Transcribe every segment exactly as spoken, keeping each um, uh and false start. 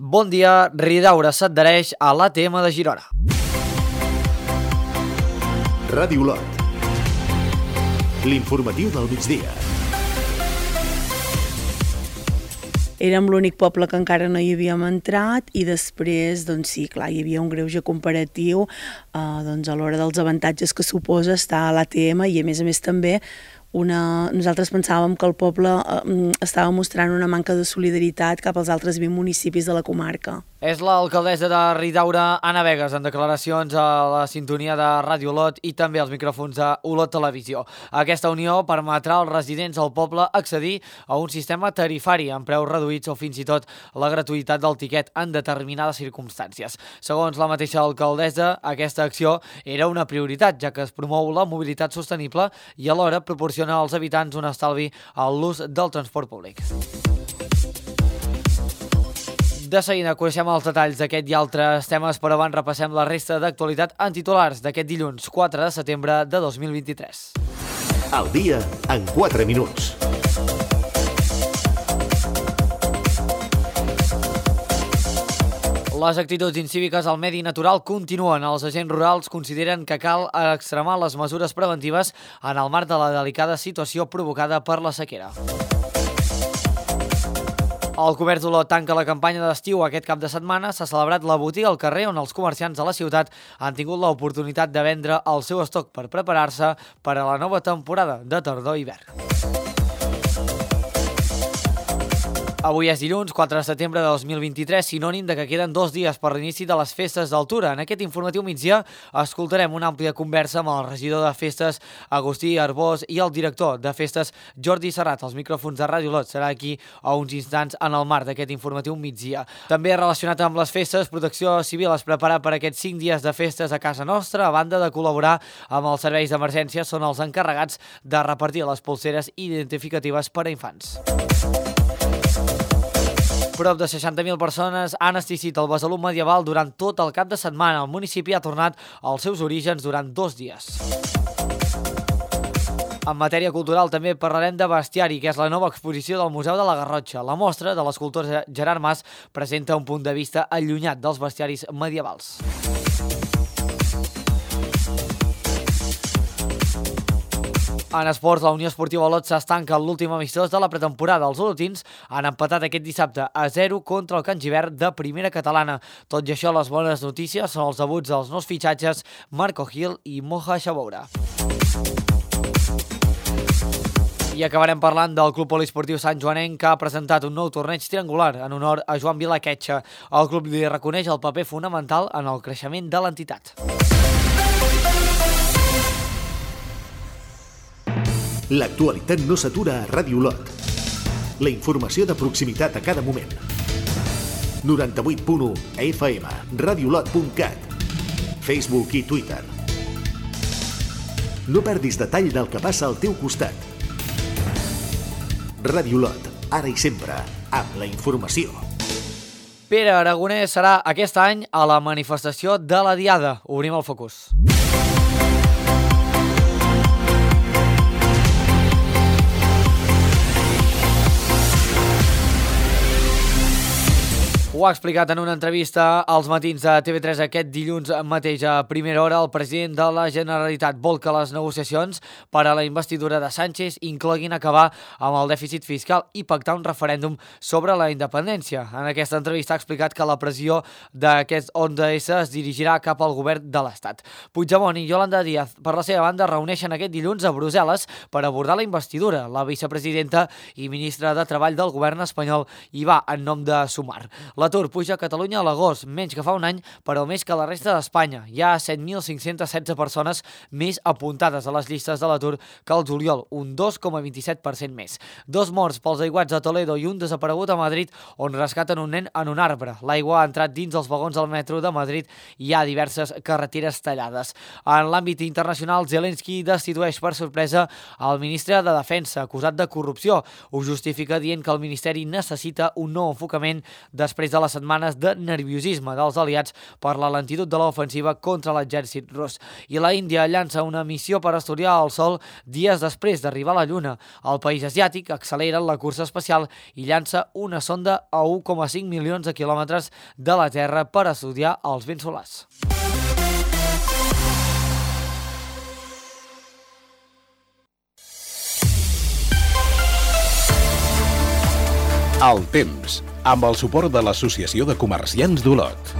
Bon dia, Ridaura s'adhereix a l'A T M de Girona. Ràdio Olot. L'informatiu del migdia. Érem l'únic poble que encara no hi havíem entrat i després, doncs sí, clar, hi havia un greuge comparatiu eh, doncs a l'hora dels avantatges que suposa estar a l'A T M i a més a més també una... nosaltres pensàvem que el poble eh, estava mostrant una manca de solidaritat cap als altres vint municipis de la comarca. És l'alcaldessa de Ridaura, Anna Vegas, en declaracions a la sintonia de Ràdio Olot i també als micròfons de Olot Televisió. Aquesta unió permetrà als residents del poble accedir a un sistema tarifari amb preus reduïts o fins i tot la gratuïtat del tiquet en determinades circumstàncies. Segons la mateixa alcaldessa, aquesta acció era una prioritat, ja que es promou la mobilitat sostenible i alhora proporciona als habitants un estalvi a l'ús del transport públic. De seguida coneixem els detalls d'aquest i altres temes, però abans repassem la resta d'actualitat en titulars d'aquest dilluns quatre de setembre de dos mil vint-i-tres. Al dia en quatre minuts. Les actituds incíviques al medi natural continuen. Els agents rurals consideren que cal extremar les mesures preventives en el marc de la delicada situació provocada per la sequera. El comerç d'Olot tanca la campanya d'estiu aquest cap de setmana. S'ha celebrat la botiga al carrer on els comerciants de la ciutat han tingut l'oportunitat de vendre el seu estoc per preparar-se per a la nova temporada de tardor-hivern. Avui és dilluns, quatre de setembre de dos mil vint-i-tres, sinònim de que queden dos dies per l'inici de les festes d'Altura. En aquest informatiu migdia escoltarem una àmplia conversa amb el regidor de festes, Agustí Arbós, i el director de festes, Jordi Serrat. Els micròfons de Ràdio Olot serà aquí a uns instants en el marc d'aquest informatiu migdia. També relacionat amb les festes, Protecció Civil es prepara per aquests cinc dies de festes a casa nostra. A banda de col·laborar amb els serveis d'emergència, són els encarregats de repartir les polseres identificatives per a infants. Prop de seixanta mil persones han assistit al Besalú medieval durant tot el cap de setmana. El municipi ha tornat als seus orígens durant dos dies. En matèria cultural també parlarem de Bestiari, que és la nova exposició del Museu de la Garrotxa. La mostra de l'escultor Gerard Mas presenta un punt de vista allunyat dels bestiaris medievals. En esports, la Unió Esportiva Olot s'estanca en l'últim amistós de la pretemporada. Els olotins han empatat aquest dissabte a zero contra el Can Givert de primera catalana. Tot i això, les bones notícies són els debuts dels nous fitxatges Marco Gil i Moja Xaboura. I acabarem parlant del Club Poliesportiu Sant Joanenc, que ha presentat un nou torneig triangular en honor a Joan Vilaquetxa. El club li reconeix el paper fonamental en el creixement de l'entitat. L'actualitat no s'atura a Ràdio Olot. La informació de proximitat a cada moment. noranta-vuit punt u F M, radiolot punt cat, Facebook i Twitter. No perdis detall del que passa al teu costat. Ràdio Olot, ara i sempre, amb la informació. Pere Aragonès serà aquest any a la manifestació de la Diada. Obrim el focus. Ho ha explicat en una entrevista als matins de T V tres aquest dilluns mateix a primera hora. El president de la Generalitat vol que les negociacions per a la investidura de Sánchez incloguin acabar amb el dèficit fiscal i pactar un referèndum sobre la independència. En aquesta entrevista ha explicat que la pressió d'aquest onze essa es dirigirà cap al govern de l'Estat. Puigdemont i Yolanda Díaz, per la seva banda, reuneixen aquest dilluns a Brussel·les per abordar la investidura. La vicepresidenta i ministra de Treball del govern espanyol hi va en nom de Sumar. L'atur puja a Catalunya a l'agost, menys que fa un any, però més que la resta d'Espanya. Hi ha set mil cinc-cents setze persones més apuntades a les llistes de l'atur que el juliol, un dos coma vint-i-set per cent més. Dos morts pels aiguats a Toledo i un desaparegut a Madrid, on rescaten un nen en un arbre. L'aigua ha entrat dins els vagons del metro de Madrid i hi ha diverses carreteres tallades. En l'àmbit internacional, Zelensky destitueix per sorpresa el ministre de Defensa, acusat de corrupció. Ho justifica dient que el ministeri necessita un nou enfocament després de a les setmanes de nerviosisme dels aliats per la lentitud de l'ofensiva contra l'exèrcit rus. I la Índia llança una missió per estudiar el Sol dies després d'arribar a la Lluna. El país asiàtic accelera la cursa espacial i llança una sonda a u coma cinc milions de quilòmetres de la Terra per estudiar els vents solars. El temps, amb el suport de l'Associació de Comerciants d'Olot.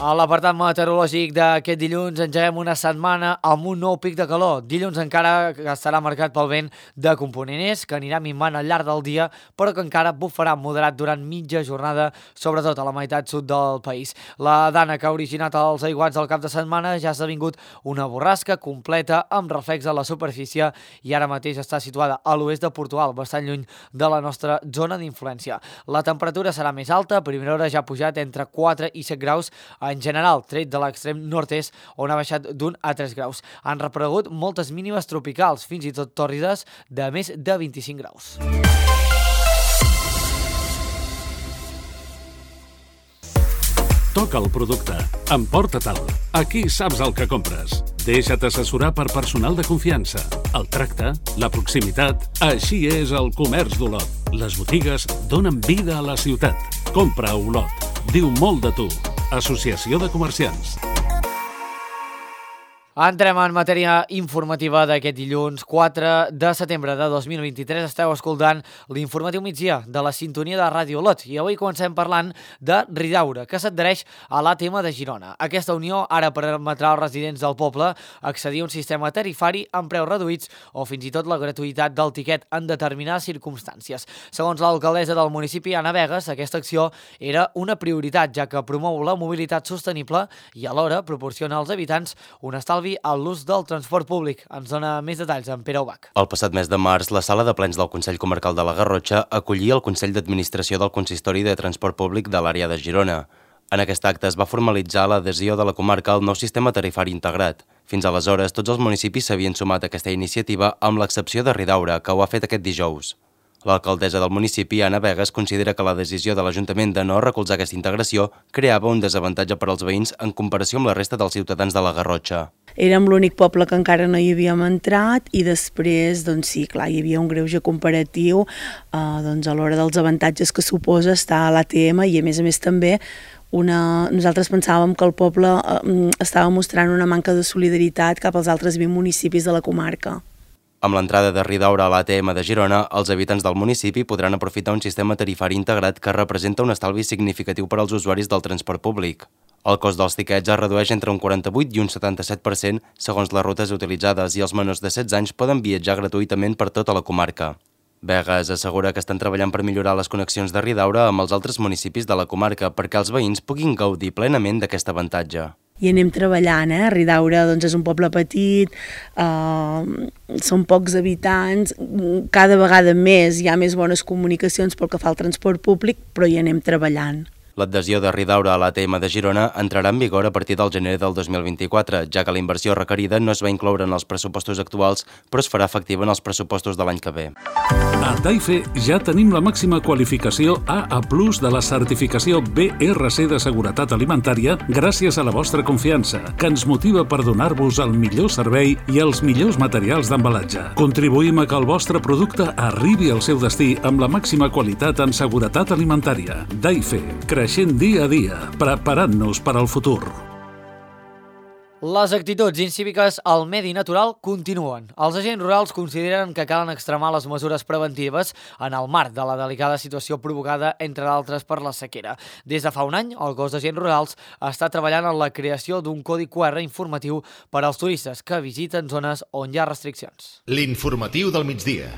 A l'apartat meteorològic d'aquest dilluns engeguem una setmana amb un nou pic de calor. Dilluns encara estarà marcat pel vent de component est, que anirà minvant al llarg del dia, però que encara bufarà moderat durant mitja jornada, sobretot a la meitat sud del país. La dana que ha originat els aiguats del cap de setmana ja ha esdevingut una borrasca completa amb reflex a la superfície i ara mateix està situada a l'oest de Portugal, bastant lluny de la nostra zona d'influència. La temperatura serà més alta, a primera hora ja ha pujat entre quatre i set graus, en general, tret de l'extrem nord-est, on ha baixat d'un a tres graus. Han reaparegut moltes mínimes tropicals, fins i tot tòrrides, de més de vint-i-cinc graus. Toca el producte, emporta-te'l. Aquí saps el que compres. Deixa't assessorar per personal de confiança. El tracte, la proximitat, així és el comerç d'Olot. Les botigues donen vida a la ciutat. Compra a Olot. Diu molt de tu. Associació de Comerciants. Entrem en matèria informativa d'aquest dilluns quatre de setembre de dos mil vint-i-tres. Esteu escoltant l'informatiu migdia de la sintonia de Ràdio Olot i avui comencem parlant de Ridaura, que s'adhereix a l'A T M de Girona. Aquesta unió ara permetrà als residents del poble accedir a un sistema tarifari amb preus reduïts o fins i tot la gratuïtat del tiquet en determinades circumstàncies. Segons l'alcaldessa del municipi, Anna Vegas, aquesta acció era una prioritat, ja que promou la mobilitat sostenible i alhora proporciona als habitants un estalvi a l'ús del transport públic. Ens dona més detalls en Pere Ubach. El passat mes de març, la sala de plens del Consell Comarcal de la Garrotxa acollia el Consell d'Administració del Consistori de Transport Públic de l'àrea de Girona. En aquest acte es va formalitzar l'adhesió de la comarca al nou sistema tarifari integrat. Fins aleshores, tots els municipis s'havien sumat a aquesta iniciativa, amb l'excepció de Ridaura, que ho ha fet aquest dijous. L'alcaldessa del municipi, Anna Vegas, considera que la decisió de l'Ajuntament de no recolzar aquesta integració creava un desavantatge per als veïns en comparació amb la resta dels ciutadans de la Garrotxa. Érem l'únic poble que encara no hi havíem entrat i després, doncs sí, clar, hi havia un greuge comparatiu eh, doncs a l'hora dels avantatges que suposa estar a l'A T M i a més a més també una... nosaltres pensàvem que el poble eh, estava mostrant una manca de solidaritat cap als altres vint municipis de la comarca. Amb l'entrada de Ridaura a l'A T M de Girona, els habitants del municipi podran aprofitar un sistema tarifari integrat que representa un estalvi significatiu per als usuaris del transport públic. El cost dels tiquets es redueix entre un quaranta-vuit i un setanta-set per cent segons les rutes utilitzades i els menors de setze anys poden viatjar gratuïtament per tota la comarca. Vegas assegura que estan treballant per millorar les connexions de Ridaura amb els altres municipis de la comarca perquè els veïns puguin gaudir plenament d'aquest avantatge. I anem treballant, eh? Ridaura doncs, és un poble petit, eh, són pocs habitants, cada vegada més hi ha més bones comunicacions pel que fa al transport públic, però hi anem treballant. L'adhesió de Ridaura a l'A T M de Girona entrarà en vigor a partir del gener del dos mil vint-i-quatre, ja que la inversió requerida no es va incloure en els pressupostos actuals, però es farà efectiva en els pressupostos de l'any que ve. A Taife ja tenim la màxima qualificació A A plus de la certificació B R C de seguretat alimentària gràcies a la vostra confiança, que ens motiva per donar-vos el millor servei i els millors materials d'embalatge. Contribuïm a que el vostre producte arribi al seu destí amb la màxima qualitat en seguretat alimentària. Taife, creixent dia a dia, preparant-nos per al futur. Les actituds incíviques al medi natural continuen. Els agents rurals consideren que calen extremar les mesures preventives en el marc de la delicada situació provocada, entre d'altres, per la sequera. Des de fa un any, el cos d'agents rurals està treballant en la creació d'un codi Q R informatiu per als turistes que visiten zones on hi ha restriccions. L'informatiu del migdia.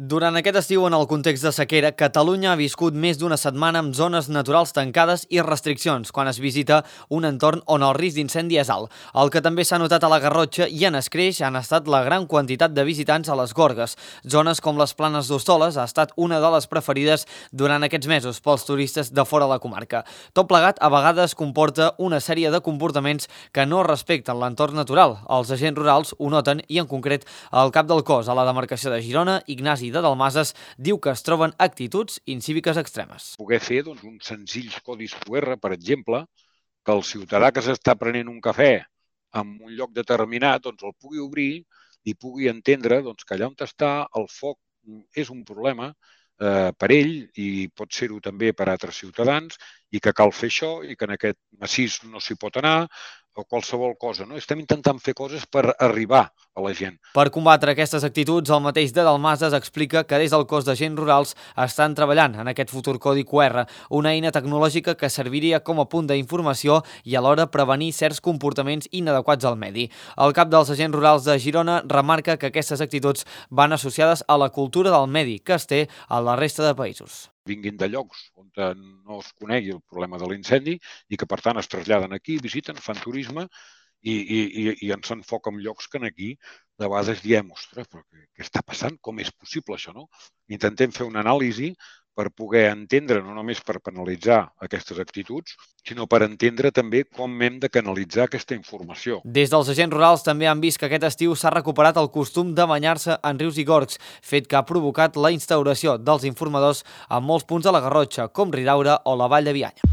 Durant aquest estiu, en el context de sequera, Catalunya ha viscut més d'una setmana amb zones naturals tancades i restriccions, quan es visita un entorn on el risc d'incendi és alt. El que també s'ha notat a la Garrotxa i en escreix han estat la gran quantitat de visitants a les Gorgues. Zones com les Planes d'Hostoles ha estat una de les preferides durant aquests mesos pels turistes de fora de la comarca. Tot plegat, a vegades comporta una sèrie de comportaments que no respecten l'entorn natural. Els agents rurals ho noten i, en concret, el cap del cos a la demarcació de Girona, Ignasi Matí de Dalmases diu que es troben actituds incíviques extremes. Poder fer doncs, uns senzills codis Q R, per exemple, que el ciutadà que s'està prenent un cafè en un lloc determinat doncs, el pugui obrir i pugui entendre doncs, que allà on està el foc és un problema eh, per ell i pot ser-ho també per altres ciutadans i que cal fer això i que en aquest massís no s'hi pot anar o qualsevol cosa. No? Estem intentant fer coses per arribar a la gent. Per combatre aquestes actituds, el mateix de Dalmases explica que des del cos d'agents rurals estan treballant en aquest futur codi Q R, una eina tecnològica que serviria com a punt d'informació i alhora prevenir certs comportaments inadequats al medi. El cap dels agents rurals de Girona remarca que aquestes actituds van associades a la cultura del medi que es té a la resta de països. Vinguin de llocs on no es conegui el problema de l'incendi i que, per tant, es traslladen aquí, visiten, fan turisme i, i, i ens enfoquen en llocs que aquí de vegades diem, ostres, però què, què està passant? Com és possible això, no? Intentem fer una anàlisi per poder entendre, no només per penalitzar aquestes actituds, sinó per entendre també com hem de canalitzar aquesta informació. Des dels agents rurals també han vist que aquest estiu s'ha recuperat el costum de banyar-se en rius i gorgs, fet que ha provocat la instauració dels informadors en molts punts de la Garrotxa, com Ridaura o la Vall de Bianya.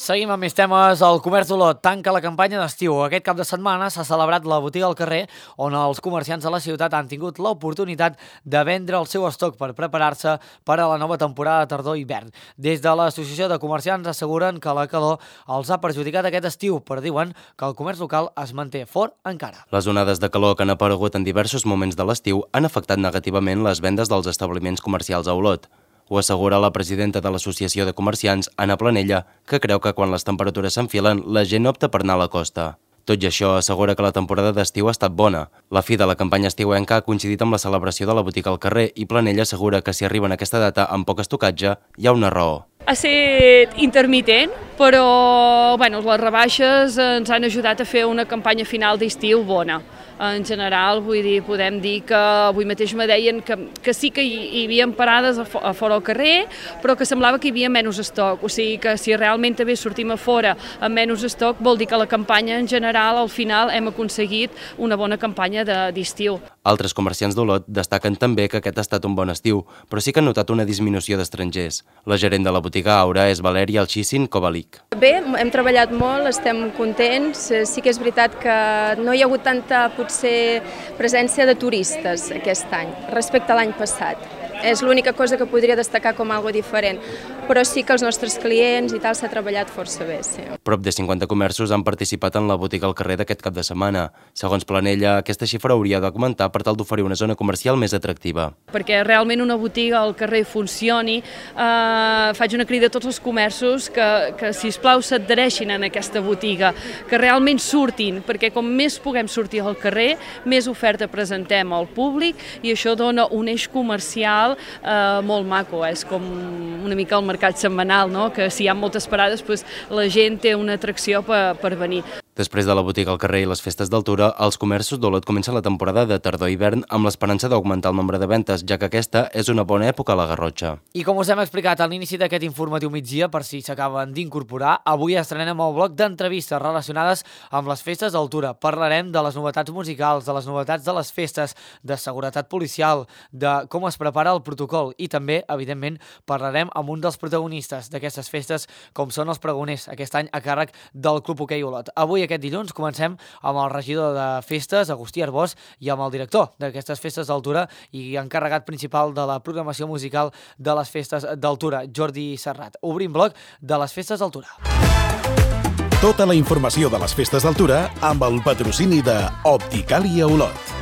Seguim amb més temes. El Comerç d'Olot tanca la campanya d'estiu. Aquest cap de setmana s'ha celebrat la botiga al carrer, on els comerciants de la ciutat han tingut l'oportunitat de vendre el seu estoc per preparar-se per a la nova temporada de tardor-hivern. Des de l'Associació de Comerciants asseguren que la calor els ha perjudicat aquest estiu, però diuen que el comerç local es manté fort encara. Les onades de calor que han aparegut en diversos moments de l'estiu han afectat negativament les vendes dels establiments comercials a Olot. Ho assegura la presidenta de l'Associació de Comerciants, Anna Planella, que creu que quan les temperatures s'enfilen, la gent opta per anar a la costa. Tot i això, assegura que la temporada d'estiu ha estat bona. La fi de la campanya estiuenca ha coincidit amb la celebració de la botiga al carrer i Planella assegura que si arriben a aquesta data amb poc estocatge, hi ha una raó. Ha estat intermitent, però bueno, les rebaixes ens han ajudat a fer una campanya final d'estiu bona. En general, vull dir, podem dir que avui mateix me deien que, que sí que hi, hi havia parades a, a fora al carrer, però que semblava que hi havia menys estoc. O sigui que si realment també sortim a fora amb menys estoc, vol dir que la campanya en general, al final, hem aconseguit una bona campanya d'estiu. Altres comerciants d'Olot destaquen també que aquest ha estat un bon estiu, però sí que han notat una disminució d'estrangers. La gerent de la botiga Aura és Valèria Alxissin Kovalik. Bé, hem treballat molt, estem contents. Sí que és veritat que no hi ha hagut tanta potser presència de turistes aquest any respecte a l'any passat. És l'única cosa que podria destacar com algo diferent, però sí que els nostres clients i tal s'ha treballat força bé. Sí. Prop de cinquanta comerços han participat en la botiga al carrer d'aquest cap de setmana. Segons Planella, aquesta xifra hauria d'augmentar per tal d'oferir una zona comercial més atractiva. Perquè realment una botiga al carrer funcioni, eh, faig una crida a tots els comerços que, que sisplau s'adhereixin en aquesta botiga, que realment surtin, perquè com més puguem sortir al carrer, més oferta presentem al públic i això dona un eix comercial eh, molt maco. És com una mica el mercat setmanal, no? Que si hi ha moltes parades, doncs, la gent té una atracció per, per venir. Després de la botiga al carrer i les festes d'altura, els comerços d'Olot comencen la temporada de tardor-hivern amb l'esperança d'augmentar el nombre de ventes, ja que aquesta és una bona època a la Garrotxa. I com us hem explicat a l'inici d'aquest informatiu migdia, per si s'acaben d'incorporar, avui estrenem el bloc d'entrevistes relacionades amb les festes d'altura. Parlarem de les novetats musicals, de les novetats de les festes, de seguretat policial, de com es prepara el protocol i també, evidentment, parlarem amb un dels protagonistes d'aquestes festes, com són els pregoners, aquest any a càrrec del Club Hoquei Olot. Avui aquest dilluns comencem amb el regidor de festes, Agustí Arbós, i amb el director d'aquestes festes d'altura i encarregat principal de la programació musical de les festes d'altura, Jordi Serrat. Obrim bloc de les festes d'altura. Tota la informació de les festes d'altura amb el patrocini de Opticalia Olot.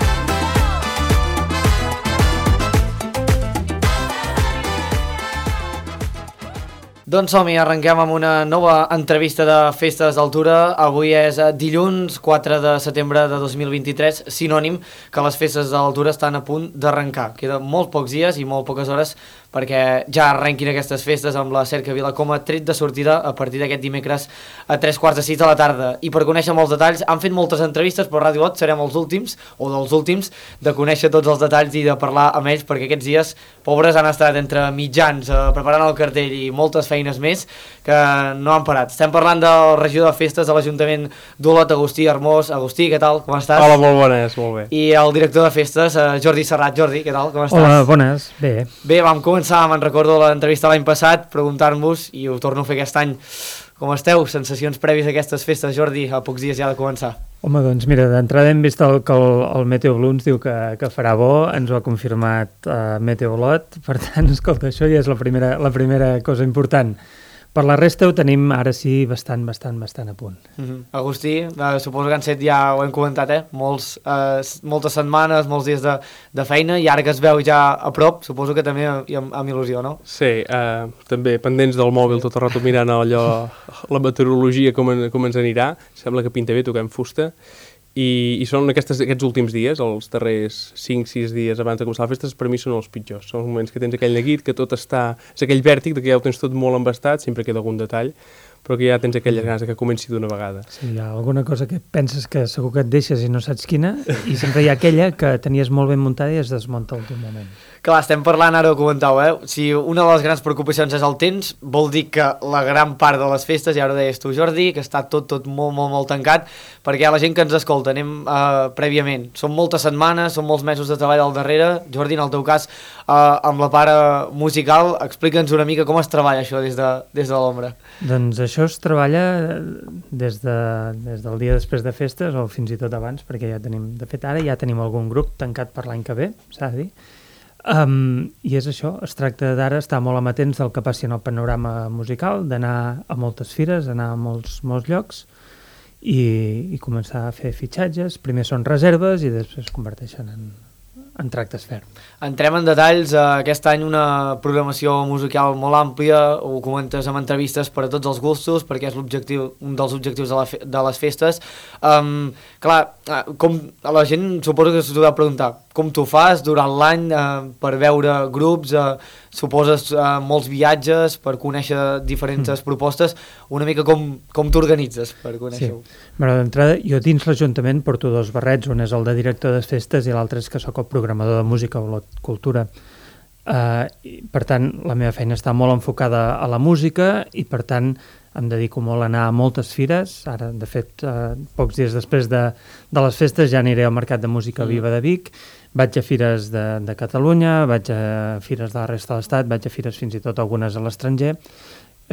Doncs som-hi, arrenquem amb una nova entrevista de festes d'altura. Avui és dilluns quatre de setembre de dos mil vint-i-tres, sinònim que les festes d'altura estan a punt d'arrencar. Queden molt pocs dies i molt poques hores perquè ja arrenquin aquestes festes amb la Cercavila com a tret de sortida a partir d'aquest dimecres a tres quarts de sis de la tarda. I per conèixer molts detalls, han fet moltes entrevistes, però Ràdio Olot serem els últims, o dels últims, de conèixer tots els detalls i de parlar amb ells, perquè aquests dies, pobres, han estat entre mitjans, eh, preparant el cartell i moltes feines feines més que no han parat. Estem parlant del regidor de festes de l'Ajuntament d'Olot, Agustí Hermós. Agustí, què tal? Com estàs? Hola, molt bones, molt bé. I el director de festes, Jordi Serrat. Jordi, què tal? Com estàs? Hola, bones, bé. Bé, vam començar, me'n recordo l'entrevista l'any passat, preguntant-vos, i ho torno a fer aquest any, com esteu? Sensacions prèvies a aquestes festes, Jordi, a pocs dies ja de començar. Home, doncs mira, d'entrada hem vist el, que el, el Meteo Blue ens diu que, que farà bo, ens ho ha confirmat uh, Meteo Olot, per tant, escolta, això ja és la primera, la primera cosa important. Per la resta ho tenim ara sí bastant, bastant, bastant a punt. Mm-hmm. Agustí, eh, suposo que han set ja, ho hem comentat, eh? Molts, eh, moltes setmanes, molts dies de, de feina, i ara que es veu ja a prop, suposo que també amb, amb il·lusió, no? Sí, eh, també pendents del mòbil tot el rato mirant allò, la meteorologia com, en, com ens anirà, sembla que pinta bé, toquem fusta, i, i són aquestes, aquests últims dies, els darrers cinc sis dies abans de començar les festes, per mi són els pitjors. Són els moments que tens aquell neguit, que tot està... És aquell vèrtic, que ja ho tens tot molt embastat, sempre queda algun detall, però que ja tens aquelles ganes que comenci d'una vegada. Sí, hi ha alguna cosa que penses que segur que et deixes i no saps quina, i sempre hi ha aquella que tenies molt ben muntada i es desmunta al teu moment. Clar, estem parlant, ara ho comentau, eh? Si una de les grans preocupacions és el temps, vol dir que la gran part de les festes, ja ho deies tu, Jordi, que està tot, tot molt, molt, molt tancat, perquè la gent que ens escolta, anem uh, prèviament. Són moltes setmanes, són molts mesos de treball al darrere. Jordi, en el teu cas, uh, amb la part musical, explica'ns una mica com es treballa això des de, des de l'ombra. Doncs això es treballa des, de, des del dia després de festes, o fins i tot abans, perquè ja tenim, de fet ara ja tenim algun grup tancat per l'any que ve, s'ha de dir. Um, I és això, es tracta d'ara estar molt amatents del que passi en el panorama musical, d'anar a moltes fires, anar a molts, molts llocs i, i començar a fer fitxatges. Primer són reserves i després es converteixen en, en tractes ferm. Entrem en detalls. Aquest any una programació musical molt àmplia, ho comentes amb entrevistes per a tots els gustos, perquè és l'objectiu, un dels objectius de, la fe, de les festes. Um, clar, com la gent suposo que s'ho ha de preguntar, com t'ho fas durant l'any eh, per veure grups, eh, suposes eh, molts viatges per conèixer diferents mm. propostes, una mica com, com t'organitzes per conèixer-ho? Sí. Bueno, d'entrada, jo dins l'Ajuntament porto dos barrets, un és el de director de festes i l'altre és que sóc el programador de música o la cultura. Uh, i, per tant, la meva feina està molt enfocada a la música i per tant em dedico molt a anar a moltes fires. Ara, de fet, uh, pocs dies després de, de les festes ja aniré al Mercat de Música Viva de Vic, vaig a fires de, de Catalunya, vaig a fires de la resta de l'Estat, vaig a fires fins i tot algunes a l'estranger.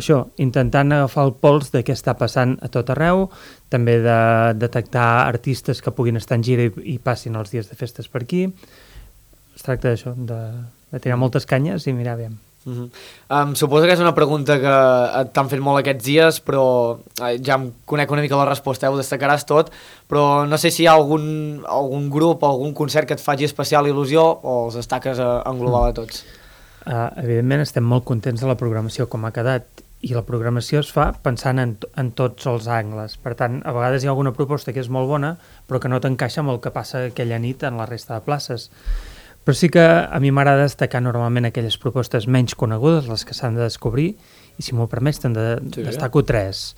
Això, intentant agafar el pols de què està passant a tot arreu, també de detectar artistes que puguin estar en gira i, i passin els dies de festes per aquí. Es tracta d'això, de, de tirar moltes canyes i mirar bé. Uh-huh. Um, suposo que és una pregunta que t'han fet molt aquests dies, però eh, ja em conec una mica la resposta, eh? Ho destacaràs tot, però no sé si hi ha algun, algun grup o algun concert que et faci especial il·lusió o els destaques a, en global a tots? Uh, evidentment estem molt contents de la programació com ha quedat i la programació es fa pensant en, en tots els angles. Per tant, a vegades hi ha alguna proposta que és molt bona però que no t'encaixa amb el que passa aquella nit en la resta de places. Però sí que a mi m'agrada destacar normalment aquelles propostes menys conegudes, les que s'han de descobrir, i si m'ho permets te'n de, sí, destaco tres.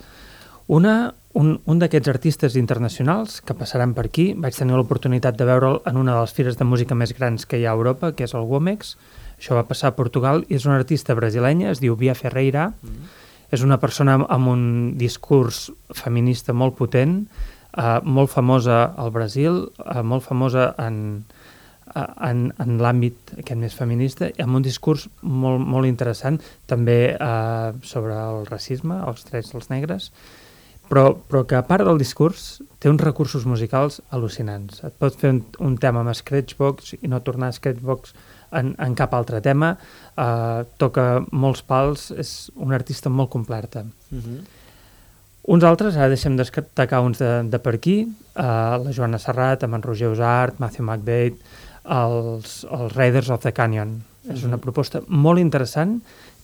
Una, un, un d'aquests artistes internacionals que passaran per aquí, vaig tenir l'oportunitat de veure'l en una de les fires de música més grans que hi ha a Europa, que és el Womex. Això va passar a Portugal, i és una artista brasilenya, es diu Bia Ferreira, mm. és una persona amb un discurs feminista molt potent, eh, molt famosa al Brasil, eh, molt famosa en... en, en l'àmbit aquest més feminista, amb un discurs molt, molt interessant, també eh, sobre el racisme, els drets dels negres, però, però que a part del discurs té uns recursos musicals al·lucinants. Et pot fer un, un tema amb Scratchbox i no tornar a Scratchbox en, en cap altre tema, eh, toca molts pals, és una artista molt completa. Uh-huh. Uns altres, ara deixem destacar uns de, de per aquí, eh, la Joana Serrat, amb en Roger Usart, Matthew McBabe, els, els Raiders of the Canyon. Uh-huh. És una proposta molt interessant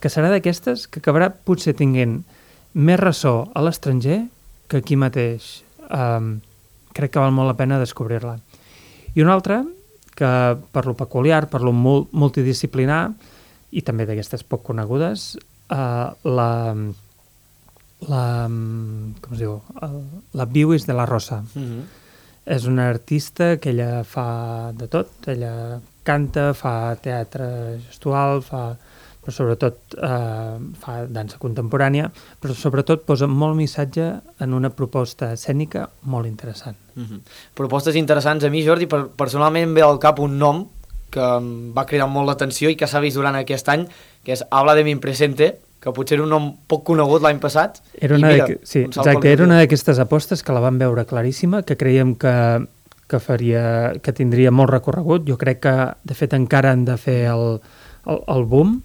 que serà d'aquestes que acabarà potser tinguent més ressò a l'estranger que aquí mateix. Um, crec que val molt la pena descobrir-la. I una altra, que per lo peculiar, per lo mul- multidisciplinar, i també d'aquestes poc conegudes, uh, la, la, com es diu, el, la Biwis de la Rosa. Uh-huh. És una artista que ella fa de tot, ella canta, fa teatre gestual, fa però sobretot eh, fa dansa contemporània, però sobretot posa molt missatge en una proposta escènica molt interessant. Mm-hmm. Propostes interessants. A mi, Jordi, per, personalment em ve al cap un nom que em va cridar molt l'atenció i que s'ha vist durant aquest any, que és Habla de mi presente, que potser era un nom poc conegut l'any passat. Era una, mira, de, sí, un exacte, era una d'aquestes apostes que la vam veure claríssima, que creiem que, que, faria, que tindria molt recorregut. Jo crec que, de fet, encara han de fer el, el, el boom,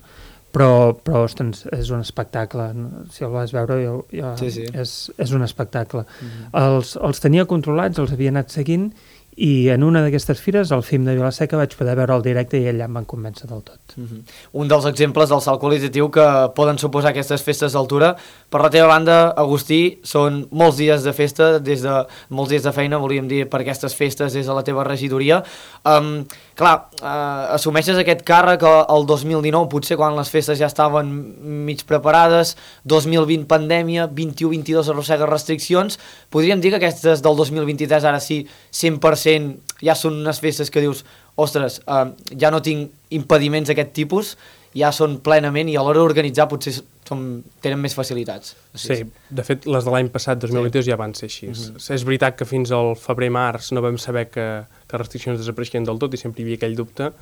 però, però ostres, és un espectacle. Si el vas veure, jo, jo, sí, sí. És, és un espectacle. Mm-hmm. Els, els tenia controlats, els havia anat seguint, i en una d'aquestes fires, al F I M de Vila-seca, vaig poder veure el directe i allà em van convèncer del tot. Mm-hmm. Un dels exemples del salt qualitatiu que poden suposar aquestes festes d'altura. Per la teva banda, Agustí, són molts dies de festa, des de molts dies de feina, volíem dir, per aquestes festes des de la teva regidoria. Um, clar, uh, assumeixes aquest càrrec el dos mil dinou, potser quan les festes ja estaven mig preparades, dos mil vint pandèmia, vint-i-u vint-i-dos arrossega restriccions. Podríem dir que aquestes del dos mil vint-i-tres ara sí, cent per cent ja són unes festes que dius, ostres, uh, ja no tinc impediments d'aquest tipus, ja són plenament i a l'hora d'organitzar potser som, tenen més facilitats. Sí, de fet, les de l'any passat, dos mil vint-dos, sí. Ja van ser així. Uh-huh. És veritat que fins al febrer-març no vam saber que, que les restriccions desapareixien del tot i sempre hi havia aquell dubte,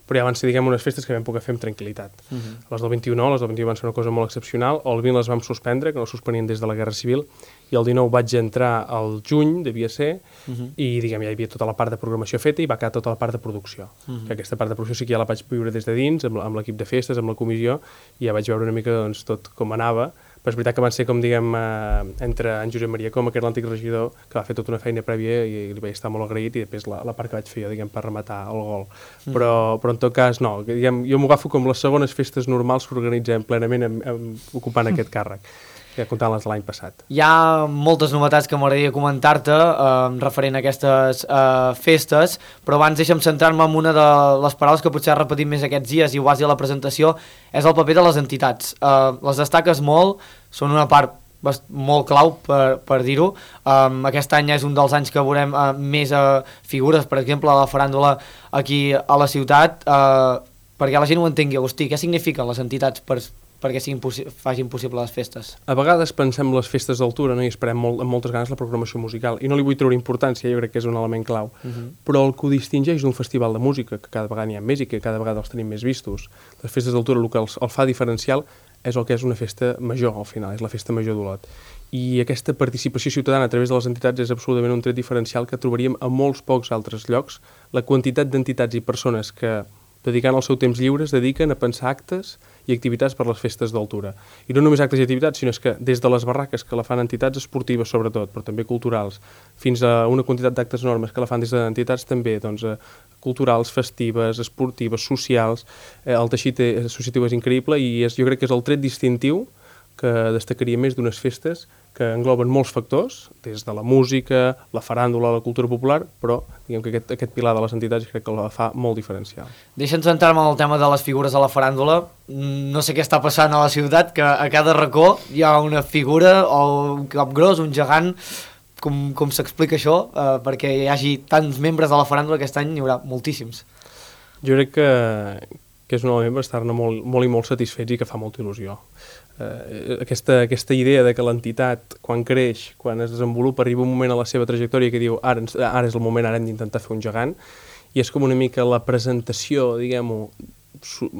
però ja van ser, diguem, unes festes que vam poder fer amb tranquil·litat. Uh-huh. Les del vint-i-u no, les del vint-i-u van ser una cosa molt excepcional, el vint les vam suspendre, que no suspenien des de la Guerra Civil, i el dinou vaig entrar al juny, devia ser, uh-huh. i diguem, ja hi havia tota la part de programació feta i va quedar tota la part de producció. Uh-huh. Que aquesta part de producció sí que ja la vaig viure des de dins, amb, amb l'equip de festes, amb la comissió, i ja vaig veure una mica doncs, tot com anava, però és veritat que van ser com, diguem, eh, entre en Josep Maria Coma, que era l'antic regidor, que va fer tota una feina prèvia i, i li vaig estar molt agraït, i després la, la part que vaig fer jo, diguem, per rematar el gol. Mm. Però, però en tot cas, no, diguem, jo m'ho agafo com les segones festes normals que organitzem plenament amb, amb, ocupant aquest càrrec, ja comptant les de l'any passat. Hi ha moltes novetats que m'agradaria comentar-te eh, referent a aquestes eh, festes, però abans deixa'm centrar-me en una de les paraules que potser has repetit més aquests dies i ho vas dir a la presentació, és el paper de les entitats. Eh, les destaques molt, són una part molt clau per, per dir-ho. Um, aquest any és un dels anys que veurem uh, més uh, figures, per exemple, a la faràndula aquí a la ciutat, uh, perquè la gent ho entengui. Agustí, què signifiquen les entitats per, perquè siguin possi- facin possible les festes? A vegades pensem les festes d'altura, no? I esperem molt, amb moltes ganes la programació musical, i no li vull treure importància, jo crec que és un element clau, uh-huh. però el que ho distingeix d'un festival de música, que cada vegada n'hi ha més i que cada vegada els tenim més vistos, les festes d'altura, el que els, el fa diferencial és el que és una festa major, al final, és la festa major d'Olot. I aquesta participació ciutadana a través de les entitats és absolutament un tret diferencial que trobaríem a molts pocs altres llocs. La quantitat d'entitats i persones que, dedicant el seu temps lliure, es dediquen a pensar actes i activitats per les festes d'altura. I no només actes i activitats, sinó que des de les barraques que la fan entitats esportives sobretot, però també culturals, fins a una quantitat d'actes enormes que la fan des d'entitats també, doncs, eh, culturals, festives, esportives, socials, eh, el teixit associatiu és increïble i és, jo crec que és el tret distintiu que destacaria més d'unes festes que engloben molts factors, des de la música, la faràndula, la cultura popular, però diguem que aquest, aquest pilar de les entitats crec que la fa molt diferencial. Deixa'ns centrar-me en el tema de les figures a la faràndula. No sé què està passant a la ciutat, que a cada racó hi ha una figura o un cap gros, un gegant. Com, com s'explica això? Uh, perquè hi hagi tants membres de la faràndula, aquest any n'hi haurà moltíssims. Jo crec que, que és un element per estar-ne molt, molt i molt satisfets i que fa molta il·lusió. Uh, aquesta, aquesta idea de que l'entitat, quan creix, quan es desenvolupa, arriba un moment a la seva trajectòria que diu ara, ara és el moment, ara hem d'intentar fer un gegant, i és com una mica la presentació, diguem-ho,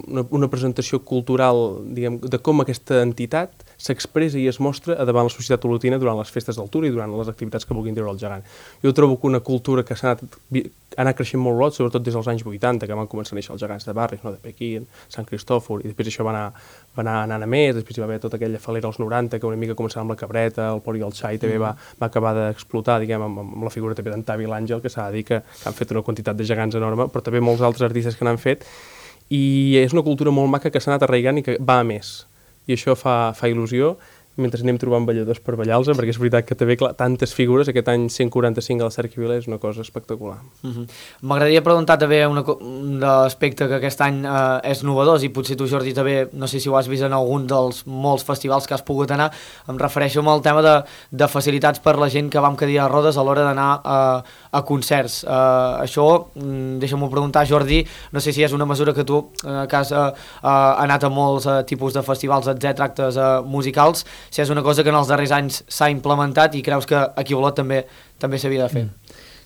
una, una presentació cultural, diguem, de com aquesta entitat s'expressa i es mostra a davant la societat olotina durant les festes d'altura i durant les activitats que vulguin treure el gegant. Jo trobo que una cultura que s'ha anat, ha anat creixent molt Olot, sobretot des dels anys vuitanta, que van començar a néixer els gegants de barris, no? De Pequín, Sant Cristòfor, i després això va anar, va anar anant a més, després hi va haver tota aquella falera als noranta, que una mica començava amb la Cabreta, el Pori i el Xai, també va, va acabar d'explotar, diguem, amb, amb la figura també d'en Tavi l'Àngel, que s'ha de dir que, que han fet una quantitat de gegants enorme, però també molts altres artistes que n'han fet, i és una cultura molt maca que s'ha anat arraigant i que va a més, i això fa, fa il·lusió, mentre anem trobant balladors per ballar-los, perquè és veritat que també, clar, tantes figures, aquest any cent quaranta-cinc a la Cerca Vila és una cosa espectacular. Uh-huh. M'agradaria preguntar també una, un un aspecte que aquest any eh, és novedós, i potser tu, Jordi, també, no sé si ho has vist en algun dels molts festivals que has pogut anar, em refereixo al tema de, de facilitats per la gent que va amb cadira de rodes a l'hora d'anar a, a concerts. Eh, això, deixa'm-ho preguntar, Jordi, no sé si és una mesura que tu, eh, que has eh, anat a molts eh, tipus de festivals, etcètera, actes eh, musicals, si és una cosa que en els darrers anys s'ha implementat i creus que aquí a Olot també també s'havia de fer.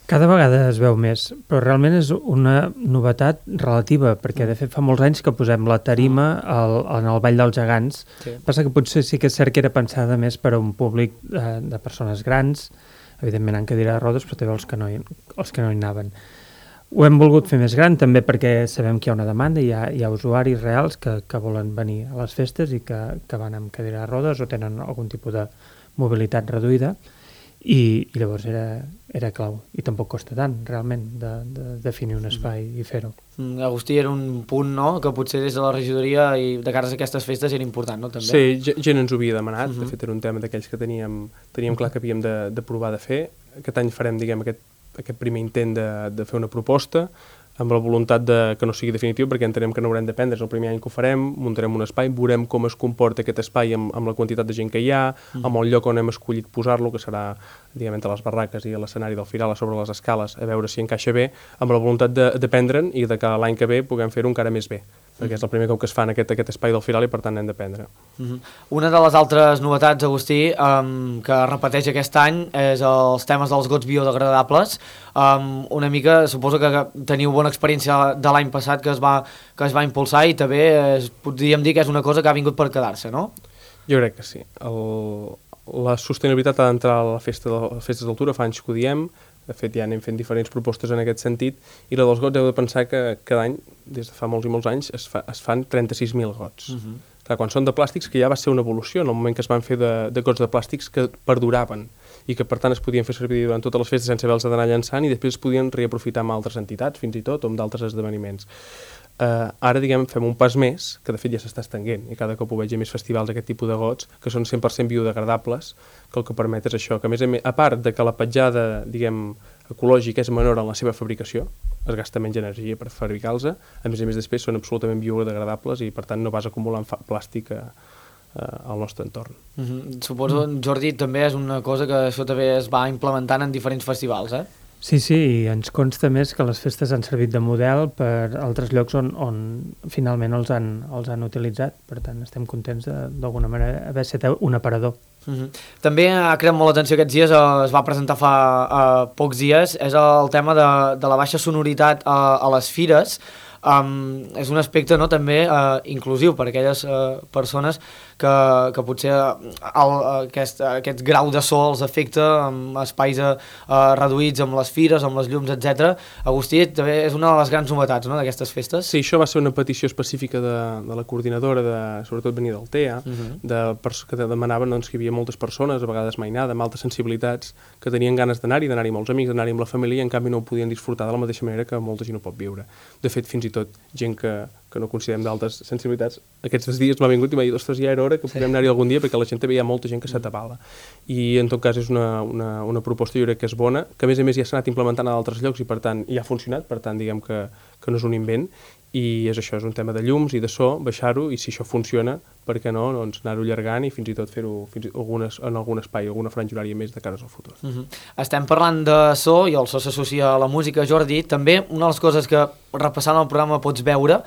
Cada vegada es veu més, però realment és una novetat relativa, perquè de fet fa molts anys que posem la tarima al, en el Ball dels Gegants. Sí. Passa que potser sí que és cert que era pensada més per a un públic eh, de persones grans, evidentment en cadira de rodes, però també els que no hi, els que no hi anaven. Ho hem volgut fer més gran també perquè sabem que hi ha una demanda, hi ha, hi ha usuaris reals que, que volen venir a les festes i que, que van amb cadira de rodes o tenen algun tipus de mobilitat reduïda, i, i llavors era, era clau, i tampoc costa tant realment de, de definir un espai i fer-ho. Agustí, era un punt, no?, que potser des de la regidoria i de cares a aquestes festes era important, no?, també. Sí, gent ens ho havia demanat, uh -huh. De fet era un tema d'aquells que teníem, teníem clar que havíem de, de provar de fer. Aquest any farem, diguem, aquest, aquest primer intent de, de fer una proposta, amb la voluntat de que no sigui definitiu, perquè entenem que no haurem de prendre, és el primer any que ho farem, muntarem un espai, veurem com es comporta aquest espai amb, amb la quantitat de gent que hi ha, mm. amb el lloc on hem escollit posar-lo, que serà, diguem, entre les barraques i l'escenari del Firal, a sobre les escales, a veure si encaixa bé, amb la voluntat de, de prendre'n i de que l'any que ve puguem fer-ho encara més bé, perquè és el primer cop que es fa en aquest, aquest espai del Firal i per tant hem de prendre. Mm-hmm. Una de les altres novetats, Agustí, um, que repeteix aquest any és els temes dels gots biodegradables. Um, una mica, suposo que teniu bona experiència de l'any passat que es va, que es va impulsar i també es, podríem dir que és una cosa que ha vingut per quedar-se, no? Jo crec que sí. El, la sostenibilitat ha d'entrar a la festa de, a les festes d'altura, fa anys que ho diem, de fet ja anem fent diferents propostes en aquest sentit, i la dels gots heu de pensar que cada any, des de fa molts i molts anys, es, fa, es fan trenta-sis mil gots. Uh-huh. Clar, quan són de plàstics, que ja va ser una evolució en el moment que es van fer de, de gots de plàstics que perduraven i que per tant es podien fer servir durant totes les festes sense haver-los d'anar llançant i després es podien reaprofitar amb altres entitats fins i tot o amb d'altres esdeveniments. Uh, ara, diguem, fem un pas més, que de fet ja s'està estenguent i cada cop ho veig a més festivals aquest tipus de gots que són cent per cent biodegradables, que el que permet és això, que a més a més, a part de que la petjada, diguem, ecològica és menor en la seva fabricació, es gasta menys energia per fabricar-los, a més a més després són absolutament biodegradables i per tant no vas acumulant plàstic a, a, al nostre entorn. Mm-hmm. Suposo, Jordi, també és una cosa que això també es va implementant en diferents festivals, eh? Sí, sí, i ens consta més que les festes han servit de model per altres llocs on, on finalment els han, els han utilitzat. Per tant, estem contents d'alguna manera haver estat un aparador. Uh-huh. També ha creat molt l'atenció aquests dies, eh, es va presentar fa eh, pocs dies, és el tema de, de la baixa sonoritat a, a les fires. Um, és un aspecte, no, també uh, inclusiu per a aquelles uh, persones que, que potser el, aquest, aquest grau de so els afecta amb espais uh, reduïts, amb les fires, amb les llums, etcètera. Agustí, també és una de les grans novetats, no, d'aquestes festes. Sí, això va ser una petició específica de, de la coordinadora, de, sobretot venia del T E A, uh-huh. de, que demanaven, doncs, que hi havia moltes persones, a vegades mainada, amb altres sensibilitats, que tenien ganes d'anar-hi, d'anar-hi amb els amics, d'anar-hi amb la família, i en canvi no ho podien disfrutar de la mateixa manera que molta gent ho pot viure. De fet, fins i tot gent que, que no considerem d'altres sensibilitats, aquests dies m'ha vingut i m'ha dit, ostres, ja era hora que podem anar-hi algun dia, perquè la gent també hi ha molta gent que s'atabala. I en tot cas és una, una, una proposta, jo crec que és bona, que a més a més ja s'ha anat implementant a d'altres llocs i per tant ja ha funcionat, per tant diguem que, que no és un invent, i és això, és un tema de llums i de so, baixar-ho, i si això funciona, per què no, doncs anar-ho allargant i fins i tot fer-ho fins i tot algunes, en algun espai, alguna franja horària més de cares al futur. Uh-huh. Estem parlant de so, i el so s'associa a la música, Jordi. També una de les coses que repassant el programa pots veure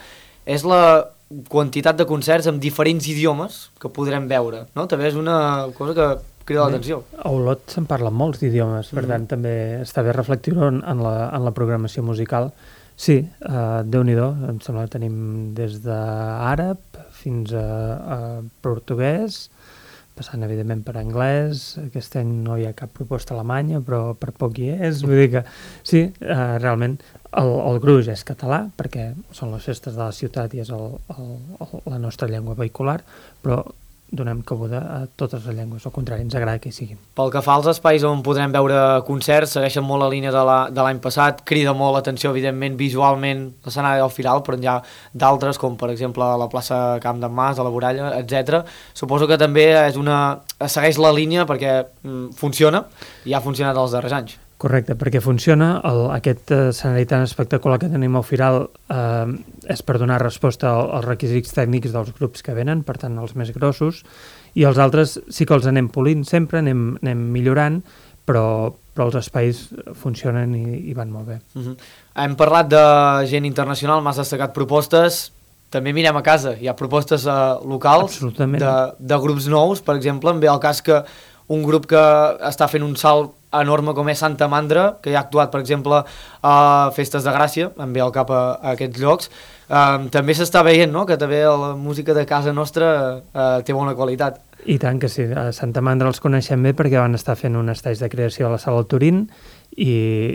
és la quantitat de concerts amb diferents idiomes que podrem veure, no? També és una cosa que crida l'atenció. A Olot se'n parla molts d'idiomes, per mm. tant també està bé reflectir-ho en, en, la, en la programació musical. Sí, uh, Déu-n'hi-do, em sembla que tenim des d'àrab fins a, a portuguès, passant evidentment per anglès. Aquest any no hi ha cap proposta alemanya, però per poc hi és. Vull dir que sí, uh, realment el, el gruix és català, perquè són les festes de la ciutat i és el, el, el, la nostra llengua vehicular, però donem cabuda a totes les llengües, al contrari, ens agrada que hi siguin. Pel que fa als espais on podrem veure concerts, segueixen molt la línia de l'any passat, crida molt l'atenció, evidentment, visualment, l'escenari del Firal, però hi ha d'altres, com per exemple la plaça Camp d'en Mas, a la Voralla, etcètera. Suposo que també és una... segueix la línia perquè mm, funciona i ha funcionat els darrers anys. Correcte, perquè funciona, el, aquest escenari tan espectacular que tenim al Firal eh, és per donar resposta als requisits tècnics dels grups que venen, per tant els més grossos, i els altres sí que els anem polint sempre, anem, anem millorant, però, però els espais funcionen i, i van molt bé. Uh-huh. Hem parlat de gent internacional, m'has destacat propostes, també mirem a casa, hi ha propostes uh, locals de, de grups nous, per exemple, em ve el cas que un grup que està fent un salt enorme com és Santa Mandra, que ja ha actuat, per exemple, a Festes de Gràcia, em ve al cap a, a aquests llocs. Um, també s'està veient, no?, que també la música de casa nostra uh, té bona qualitat. I tant que sí, a Santa Mandra els coneixem bé perquè van estar fent un estatge de creació a la Sala Turín i,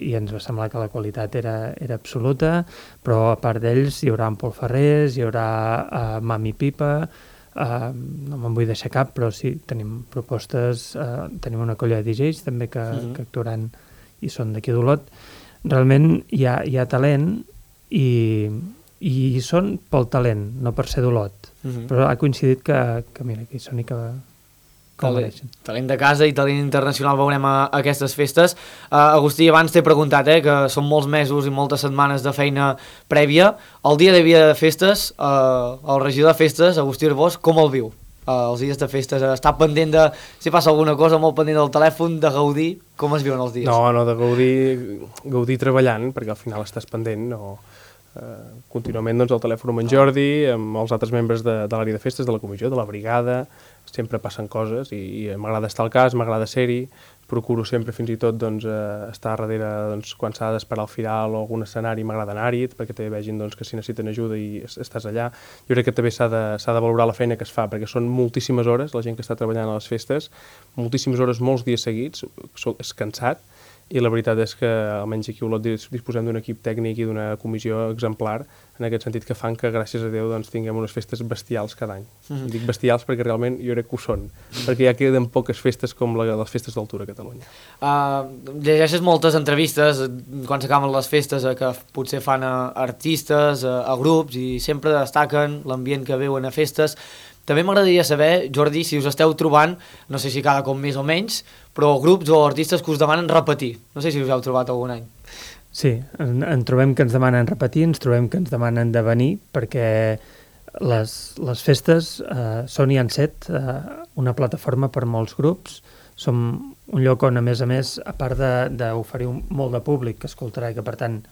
i ens va semblar que la qualitat era, era absoluta, però a part d'ells hi haurà en Pol Ferrés, hi haurà uh, Mami Pipa, uh, no me'n vull deixar cap, però sí, tenim propostes, uh, tenim una colla de D Js també que, mm-hmm. que actuaran i són d'aquí d'Olot. Realment hi ha, hi ha talent i, i hi són pel talent, no per ser d'Olot. Mm-hmm. Però ha coincidit que, que mira, que hi són i que, que ho mereixen. Talent de casa i talent internacional veurem a, a aquestes festes. Uh, Agustí, abans t'he preguntat, eh, que són molts mesos i moltes setmanes de feina prèvia. El dia de dia de festes, uh, el regidor de festes, Agustí Arbós, com el viu? Uh, els dies de festes, uh, està pendent de, si passa alguna cosa, molt pendent del telèfon, de gaudir, com es viuen els dies? No, no, de gaudir, gaudir treballant, perquè al final estàs pendent, no... Uh, contínuament doncs, el telèfon amb en Jordi, amb els altres membres de, de l'àrea de festes, de la comissió, de la brigada, sempre passen coses i, i m'agrada estar al cas, m'agrada ser-hi, procuro sempre fins i tot doncs, uh, estar darrere doncs, quan s'ha d'esperar al Firal o algun escenari, m'agrada anar-hi perquè també vegin doncs, que si necessiten ajuda i estàs allà. Jo crec que també s'ha de, s'ha de valorar la feina que es fa, perquè són moltíssimes hores, la gent que està treballant a les festes, moltíssimes hores, molts dies seguits, és cansat. I la veritat és que, almenys aquí a Olot, disposem d'un equip tècnic i d'una comissió exemplar, en aquest sentit que fan que, gràcies a Déu, doncs, tinguem unes festes bestials cada any. Mm-hmm. Dic bestials perquè realment jo crec que ho són, perquè ja queden poques festes com la, les festes d'altura a Catalunya. Uh, llegeixes moltes entrevistes quan s'acaben les festes uh, que potser fan a artistes, uh, a grups, i sempre destaquen l'ambient que veuen a festes. També m'agradaria saber, Jordi, si us esteu trobant, no sé si cada cop més o menys, però grups o artistes que us demanen repetir. No sé si us heu trobat algun any. Sí, en, en trobem que ens demanen repetir, ens trobem que ens demanen de venir, perquè les, les festes eh, són i han set eh, una plataforma per molts grups. Som un lloc on, a més a més, a part d'oferir molt de públic que escoltarà i que, per tant,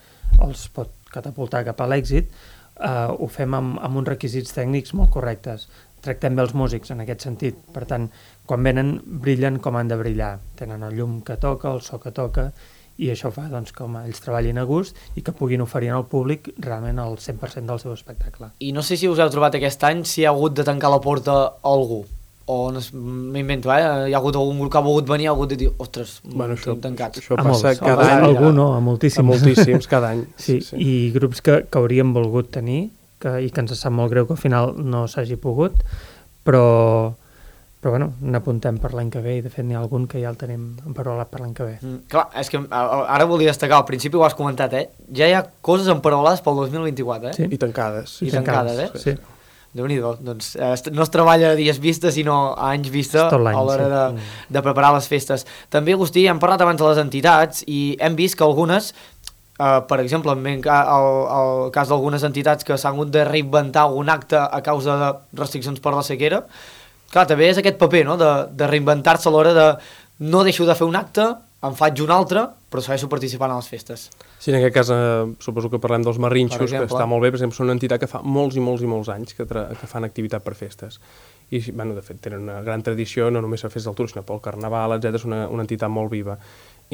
els pot catapultar cap a l'èxit, eh, ho fem amb, amb uns requisits tècnics molt correctes. Tractem bé els músics en aquest sentit, per tant, quan venen brillen com han de brillar, tenen el llum que toca, el so que toca, i això fa doncs, que ells treballin a gust i que puguin oferir al públic realment el cent per cent del seu espectacle. I no sé si us heu trobat aquest any si hi ha hagut de tancar la porta a algú, o no, m'invento, eh? Hi ha hagut algun grup que ha volgut venir, ha hagut de dir, ostres, bueno, això, tancats. Això passa molts, cada any. Algú no, a moltíssims. A moltíssims, cada any. Sí, sí. I grups que, que hauríem volgut tenir, que, i que ens sap molt greu que al final no s'hagi pogut, però, però bueno, n'apuntem per l'any que ve i de fet n'hi ha algun que ja el tenim emparolat per l'any que ve. Mm, clar, és que ara volia destacar, al principi ho has comentat, eh? Ja hi ha coses emparolades pel dos mil vint-i-quatre, eh? Sí. I tancades. I tancades, eh? Sí. Déu-n'hi-do, doncs eh, no es treballa a dies vista sinó a anys vista a l'hora de, de preparar les festes. També, Agustí, hem parlat abans de les entitats i hem vist que algunes, Uh, per exemple, en el, el cas d'algunes entitats que s'han hagut de reinventar algun acte a causa de restriccions per la sequera, clar, també és aquest paper, no?, de, de reinventar-se a l'hora de no deixo de fer un acte, en faig un altre, però segueixo participant a les festes. Sí, en aquest cas, eh, suposo que parlem dels Marrinxos, que està molt bé, per exemple, són una entitat que fa molts i molts i molts anys que, que fan activitat per festes. I, bueno, de fet, tenen una gran tradició, no només a festes d'altura, sinó pel carnaval, etcètera. És una, una entitat molt viva.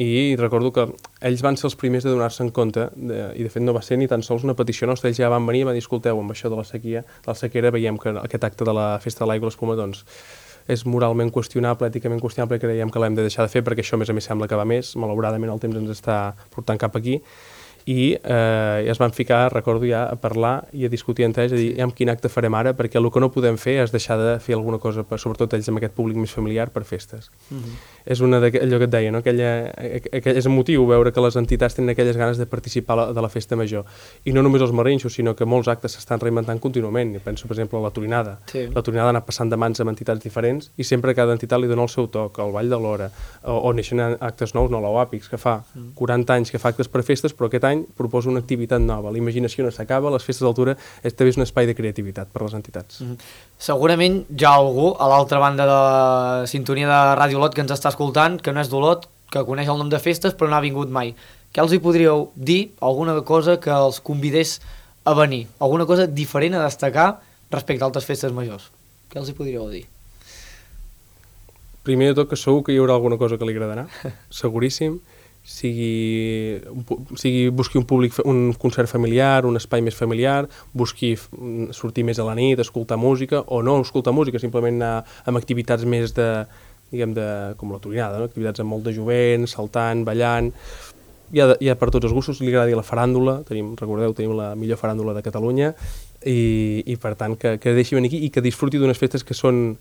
I recordo que ells van ser els primers de donar-se en compte, de, i de fet no va ser ni tan sols una petició nostra, ells ja van venir i van dir, escolteu, amb això de la sequia, de la sequera, veiem que aquest acte de la Festa de l'Aigua i l'Espuma, doncs, és moralment qüestionable, èticament qüestionable, i creiem que l'hem de deixar de fer, perquè això, a més a més, sembla que va més, malauradament el temps ens està portant cap aquí, i eh, es van ficar, recordo ja, a parlar i a discutir entre ells, a dir, sí. amb quin acte farem ara, perquè el que no podem fer és deixar de fer alguna cosa, per, sobretot ells amb aquest públic més familiar, per festes. Uh-huh. És una allò que et deia, no? Aquella, aquella, és emotiu veure que les entitats tenen aquelles ganes de participar la, de la festa major. I no només els marrinxos, sinó que molts actes s'estan reinventant contínuament. Jo penso, per exemple, a la Torinada. Sí. La Torinada ha anat passant de mans amb entitats diferents i sempre cada entitat li dona el seu toc, el Ball de l'Hora, o, o neixen actes nous, no, l'Oàpix, que fa quaranta anys que fa actes per festes, però aquest any proposa una activitat nova. La imaginació no s'acaba, les festes d'altura és també és un espai de creativitat per a les entitats. Mm-hmm. Segurament hi ha algú a l'altra banda de la sintonia de Ràdio Olot que ens està escoltant, que no és d'Olot, que coneix el nom de festes però no ha vingut mai. Què els hi podríeu dir? Alguna cosa que els convidés a venir? Alguna cosa diferent a destacar respecte a altres festes majors? Què els hi podríeu dir? Primer de tot, que segur que hi haurà alguna cosa que li agradarà, seguríssim. Sigui, sigui busqui un públic, un concert familiar, un espai més familiar, busqui sortir més a la nit, escoltar música, o no escoltar música, simplement anar amb activitats més de, diguem, de, com la Torinada, no? Activitats amb molt de jovent, saltant, ballant. Hi ha, hi ha per tots els gustos, li agradi la faràndula, tenim, recordeu, tenim la millor faràndula de Catalunya, i, i per tant que, que deixi venir aquí i que disfruti d'unes festes que són,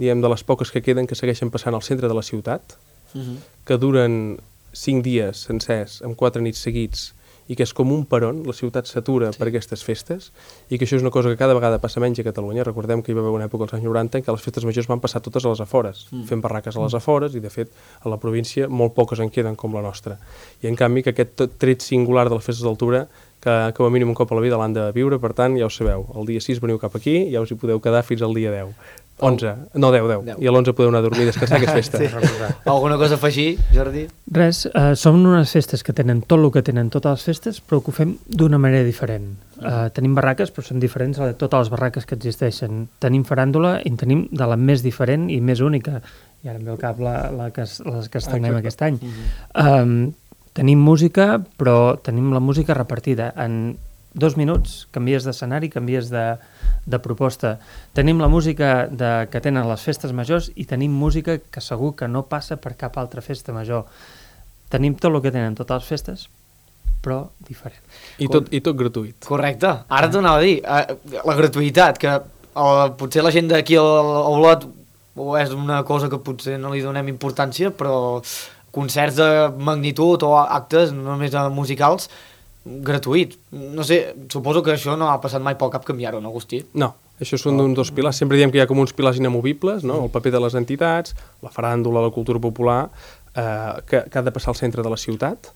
diguem, de les poques que queden, que segueixen passant al centre de la ciutat, uh-huh. que duren cinc dies sencers, amb quatre nits seguits, i que és com un peron, la ciutat s'atura sí. per aquestes festes, i que això és una cosa que cada vegada passa menys a Catalunya. Recordem que hi va haver una època als anys noranta en què les festes majors van passar totes a les afores, mm. fent barraques a les afores, i de fet a la província molt poques en queden com la nostra. I en canvi que aquest tret singular de les festes d'altura, que com a mínim un cop a la vida l'han de viure, per tant ja ho sabeu, el dia sis veniu cap aquí, ja us hi podeu quedar fins al dia deu. onze, no, deu, deu. I a l'onze podeu anar a dormir i descansar, que és festa. Sí. Alguna cosa a afegir, Jordi? Res, uh, som unes festes que tenen tot el que tenen totes les festes, però que ho fem d'una manera diferent. Uh, tenim barraques, però són diferents de totes les barraques que existeixen. Tenim faràndula i en tenim de la més diferent i més única. I ara em ve al cap la, la que, les que estrenem ah, aquest any. Uh-huh. Um, tenim música, però tenim la música repartida en dos minuts, canvies d'escenari, canvies de, de proposta. Tenim la música de, que tenen les festes majors i tenim música que segur que no passa per cap altra festa major. Tenim tot el que tenen totes les festes, però diferent. I tot, i tot gratuït. Correcte. Ara t'ho anava a dir. La gratuïtat, que el, potser la gent d'aquí a Olot és una cosa que potser no li donem importància, però concerts de magnitud o actes només musicals gratuït. No sé, suposo que això no ha passat mai pel cap canviar-ho, no, Agustí? No, això són oh. dos pilars. Sempre diem que hi ha com uns pilars inamovibles, no? El paper de les entitats, la faràndula, la cultura popular, eh, que, que ha de passar al centre de la ciutat,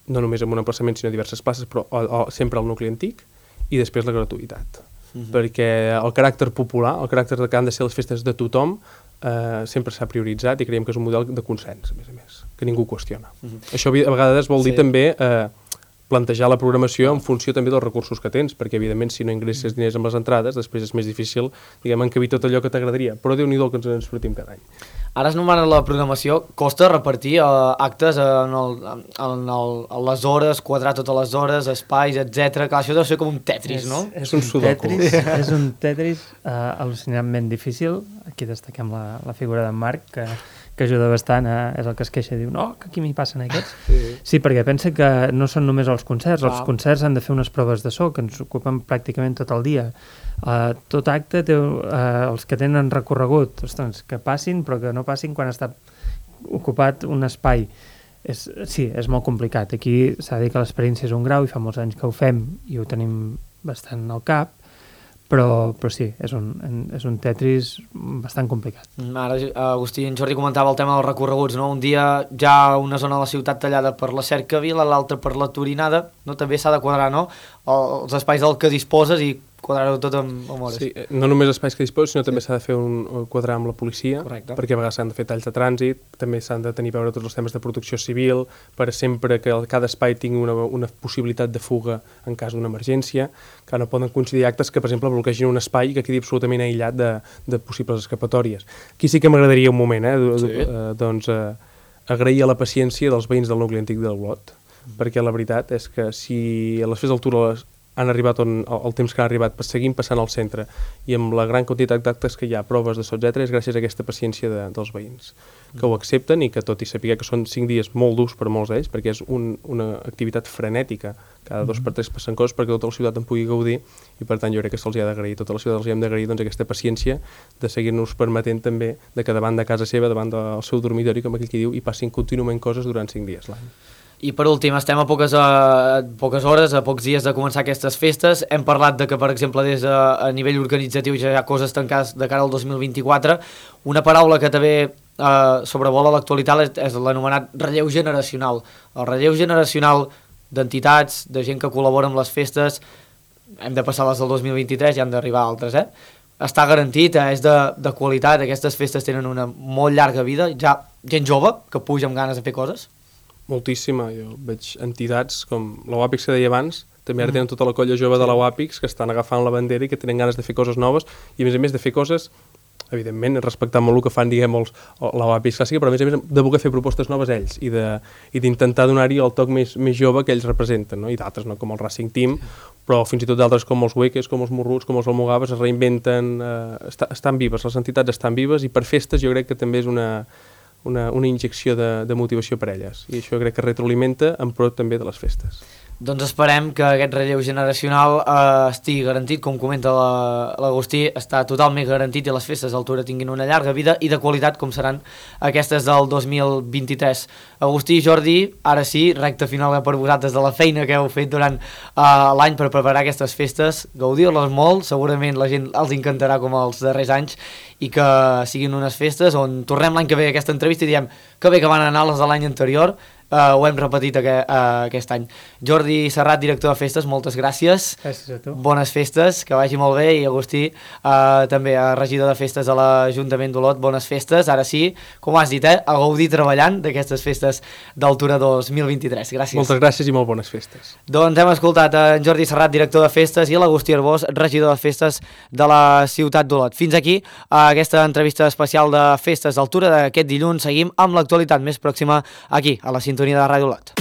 no només en un emplaçament, sinó diverses places, però o, o, sempre al nucli antic, i després la gratuïtat. Uh-huh. Perquè el caràcter popular, el caràcter que han de ser les festes de tothom, eh, sempre s'ha prioritzat i creiem que és un model de consens, a més a més, que ningú qüestiona. Uh-huh. Això a vegades vol dir sí. també eh, plantejar la programació en funció també dels recursos que tens, perquè evidentment si no ingresses diners amb les entrades, després és més difícil, diguem, encabir tot allò que t'agradaria, però Déu-n'hi-do el que ens en sortim cada any. Ara es nomena la programació, costa repartir eh, actes en, el, en, el, en les hores, quadrar totes les hores, espais, etcètera. Clar, això deu ser com un Tetris, és, no? És, és un, un Tetris, és un Tetris uh, al·lucinantment difícil. Aquí destaquem la, la figura d'en Marc, que que ajuda bastant, a, és el que es queixa i diu no, que aquí m'hi passen aquests. Sí. sí, perquè pensa que no són només els concerts, ah. els concerts han de fer unes proves de so que ens ocupen pràcticament tot el dia. Uh, tot acte té uh, els que tenen recorregut, ostres, que passin, però que no passin quan està ocupat un espai. És, sí, és molt complicat. Aquí s'ha de dir que l'experiència és un grau i fa molts anys que ho fem i ho tenim bastant al cap, Però, però sí, és un, és un Tetris bastant complicat. Ara, Agustí i en Jordi comentava el tema dels recorreguts, no? Un dia ja una zona de la ciutat tallada per la Cercavila, l'altra per la Torinada, no? També s'ha de quadrar, no? Els espais del que disposes i quadrar-ho tot amb, amb hores. Sí, no només espais que disposes, sinó sí. també s'ha de fer un quadrar amb la policia, correcte, perquè a vegades s'han de fer talls de trànsit, també s'han de tenir a veure tots els temes de protecció civil, per sempre que cada espai tingui una, una possibilitat de fuga en cas d'una emergència, que no poden coincidir actes que, per exemple, bloquegin un espai que quedi absolutament aïllat de, de possibles escapatòries. Aquí sí que m'agradaria un moment, eh, sí. eh, doncs, eh, agrair a la paciència dels veïns del nucli antic del Olot, mm. perquè la veritat és que si a les festes d'altura han arribat on, el temps que han arribat, seguint passant al centre, i amb la gran quantitat d'actes que hi ha, proves de so, etcètera, és gràcies a aquesta paciència de, dels veïns, que ho accepten i que tot i saber que són cinc dies molt durs per a molts d'ells, perquè és un, una activitat frenètica, cada dos per tres passen coses perquè tota la ciutat en pugui gaudir, i per tant jo crec que se'ls ha d'agrair, tota la ciutat els hi hem d'agrair doncs, aquesta paciència de seguir-nos permetent també de que davant de casa seva, davant del seu dormitori, com aquell que diu, hi passin contínuament coses durant cinc dies l'any. I per últim, estem a poques, a poques hores, a pocs dies de començar aquestes festes. Hem parlat de que, per exemple, des de, a nivell organitzatiu ja hi ha coses tancades de cara al dos mil vint-i-quatre. Una paraula que també eh, sobrevola l'actualitat és, és l'anomenat relleu generacional. El relleu generacional d'entitats, de gent que col·labora amb les festes, hem de passar les del dos mil vint-i-tres i han d'arribar altres, eh? Està garantit, eh? És de, de qualitat, aquestes festes tenen una molt llarga vida, ja gent jove que puja amb ganes de fer coses. Moltíssima, jo veig entitats com la U A P I X que deia abans, també ara tenen tota la colla jove de la U A P I X que estan agafant la bandera i que tenen ganes de fer coses noves i a més a més de fer coses, evidentment, respectant molt el que fan, diguem, els, la U A P I X clàssica, però a més a més de voler fer propostes noves ells i d'intentar donar-hi el toc més, més jove que ells representen, no? I d'altres, no? Com el Racing Team, però fins i tot d'altres com els Hueques, com els Morruts, com els Almogaves, es reinventen, eh, està, estan vives, les entitats estan vives i per festes jo crec que també és una... Una, una injecció de, de motivació per elles i això crec que retroalimenta en pro també de les festes. Doncs esperem que aquest relleu generacional eh, estigui garantit, com comenta l'Agustí, està totalment garantit i les festes d'Altura tinguin una llarga vida i de qualitat com seran aquestes del dos mil vint-i-tres. Agustí i Jordi, ara sí, recta final per vosaltres de la feina que heu fet durant eh, l'any per preparar aquestes festes, gaudir-les molt, segurament la gent els encantarà com els darrers anys i que siguin unes festes on tornem l'any que ve a aquesta entrevista i diem que bé que van anar les de l'any anterior. Uh, ho hem repetit aqu uh, aquest any. Jordi Serrat, director de festes, moltes gràcies. Gràcies a tu. Bones festes, que vagi molt bé. I Agustí, uh, també uh, regidor de festes a l'Ajuntament d'Olot, bones festes. Ara sí, com has dit, eh, a gaudir treballant d'aquestes festes d'Altura dos mil vint-i-tres. Gràcies. Moltes gràcies i molt bones festes. Doncs hem escoltat en Jordi Serrat, director de festes, i l'Agustí Arbós, regidor de festes de la ciutat d'Olot. Fins aquí uh, aquesta entrevista especial de festes d'Altura d'aquest dilluns. Seguim amb l'actualitat més pròxima aquí, a la sintonia de Ràdio Olot.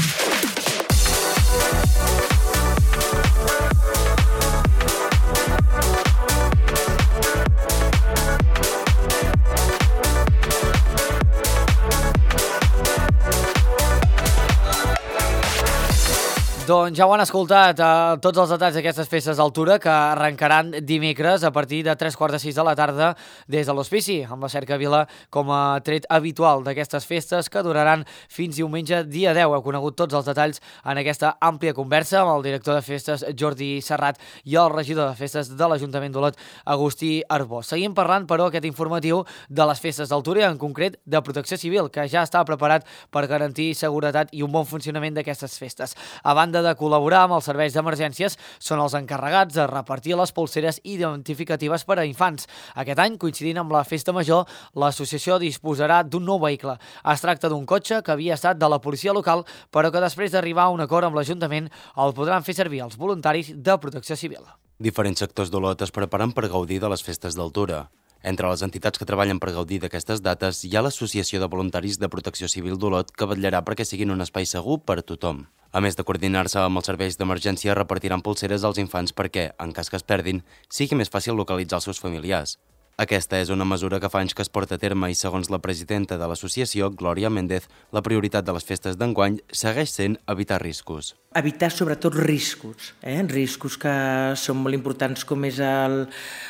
Doncs ja ho han escoltat, eh, tots els detalls d'aquestes festes d'Altura que arrencaran dimecres a partir de tres quarts de sis de la tarda des de l'Hospici, amb la cercavila com a tret habitual d'aquestes festes que duraran fins diumenge dia deu. Heu conegut tots els detalls en aquesta àmplia conversa amb el director de festes Jordi Serrat i el regidor de festes de l'Ajuntament d'Olot, Agustí Arbós. Seguim parlant, però, aquest informatiu de les festes d'Altura i en concret de Protecció Civil, que ja està preparat per garantir seguretat i un bon funcionament d'aquestes festes. A banda de col·laborar amb els serveis d'emergències, són els encarregats de repartir les polseres identificatives per a infants. Aquest any, coincidint amb la Festa Major, l'associació disposarà d'un nou vehicle. Es tracta d'un cotxe que havia estat de la policia local, però que després d'arribar a un acord amb l'Ajuntament el podran fer servir els voluntaris de Protecció Civil. Diferents sectors d'Olot es preparen per gaudir de les festes d'Altura. Entre les entitats que treballen per gaudir d'aquestes dates hi ha l'Associació de Voluntaris de Protecció Civil d'Olot, que vetllarà perquè siguin un espai segur per a tothom. A més de coordinar-se amb els serveis d'emergència, repartiran polseres als infants perquè, en cas que es perdin, sigui més fàcil localitzar els seus familiars. Aquesta és una mesura que fa anys que es porta a terme i, segons la presidenta de l'associació, Glòria Méndez, la prioritat de les festes d'enguany segueix sent evitar riscos. Evitar sobretot riscos, eh? riscos que són molt importants, com és el,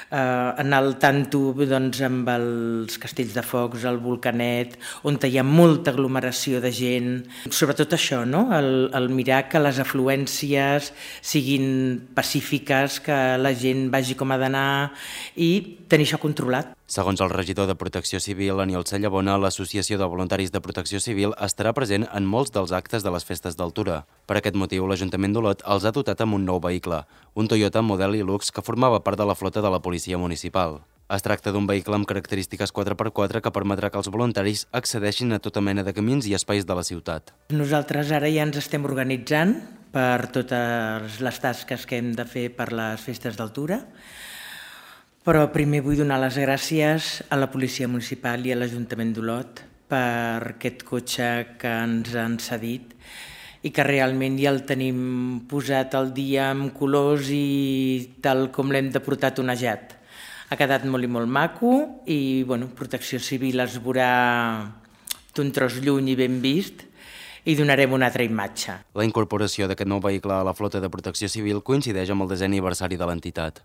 eh, anar al tanto doncs, amb els castells de focs, el volcanet, on hi ha molta aglomeració de gent. Sobretot això, no? el, el mirar que les afluències siguin pacífiques, que la gent vagi com ha d'anar i tenir això controlat. Segons el regidor de Protecció Civil, Aniol Sallabona, l'Associació de Voluntaris de Protecció Civil estarà present en molts dels actes de les festes d'Altura. Per aquest motiu, l'Ajuntament d'Olot els ha dotat amb un nou vehicle, un Toyota model Hilux que formava part de la flota de la policia municipal. Es tracta d'un vehicle amb característiques quatre per quatre que permetrà que els voluntaris accedeixin a tota mena de camins i espais de la ciutat. Nosaltres ara ja ens estem organitzant per totes les tasques que hem de fer per les festes d'Altura, però primer vull donar les gràcies a la Policia Municipal i a l'Ajuntament d'Olot per aquest cotxe que ens han cedit i que realment ja el tenim posat al dia amb colors i tal com l'hem de portar tonejat. Ha quedat molt i molt maco i bueno, Protecció Civil es veurà d'un tros lluny i ben vist i donarem una altra imatge. La incorporació d'aquest nou vehicle a la flota de Protecció Civil coincideix amb el desè aniversari de l'entitat.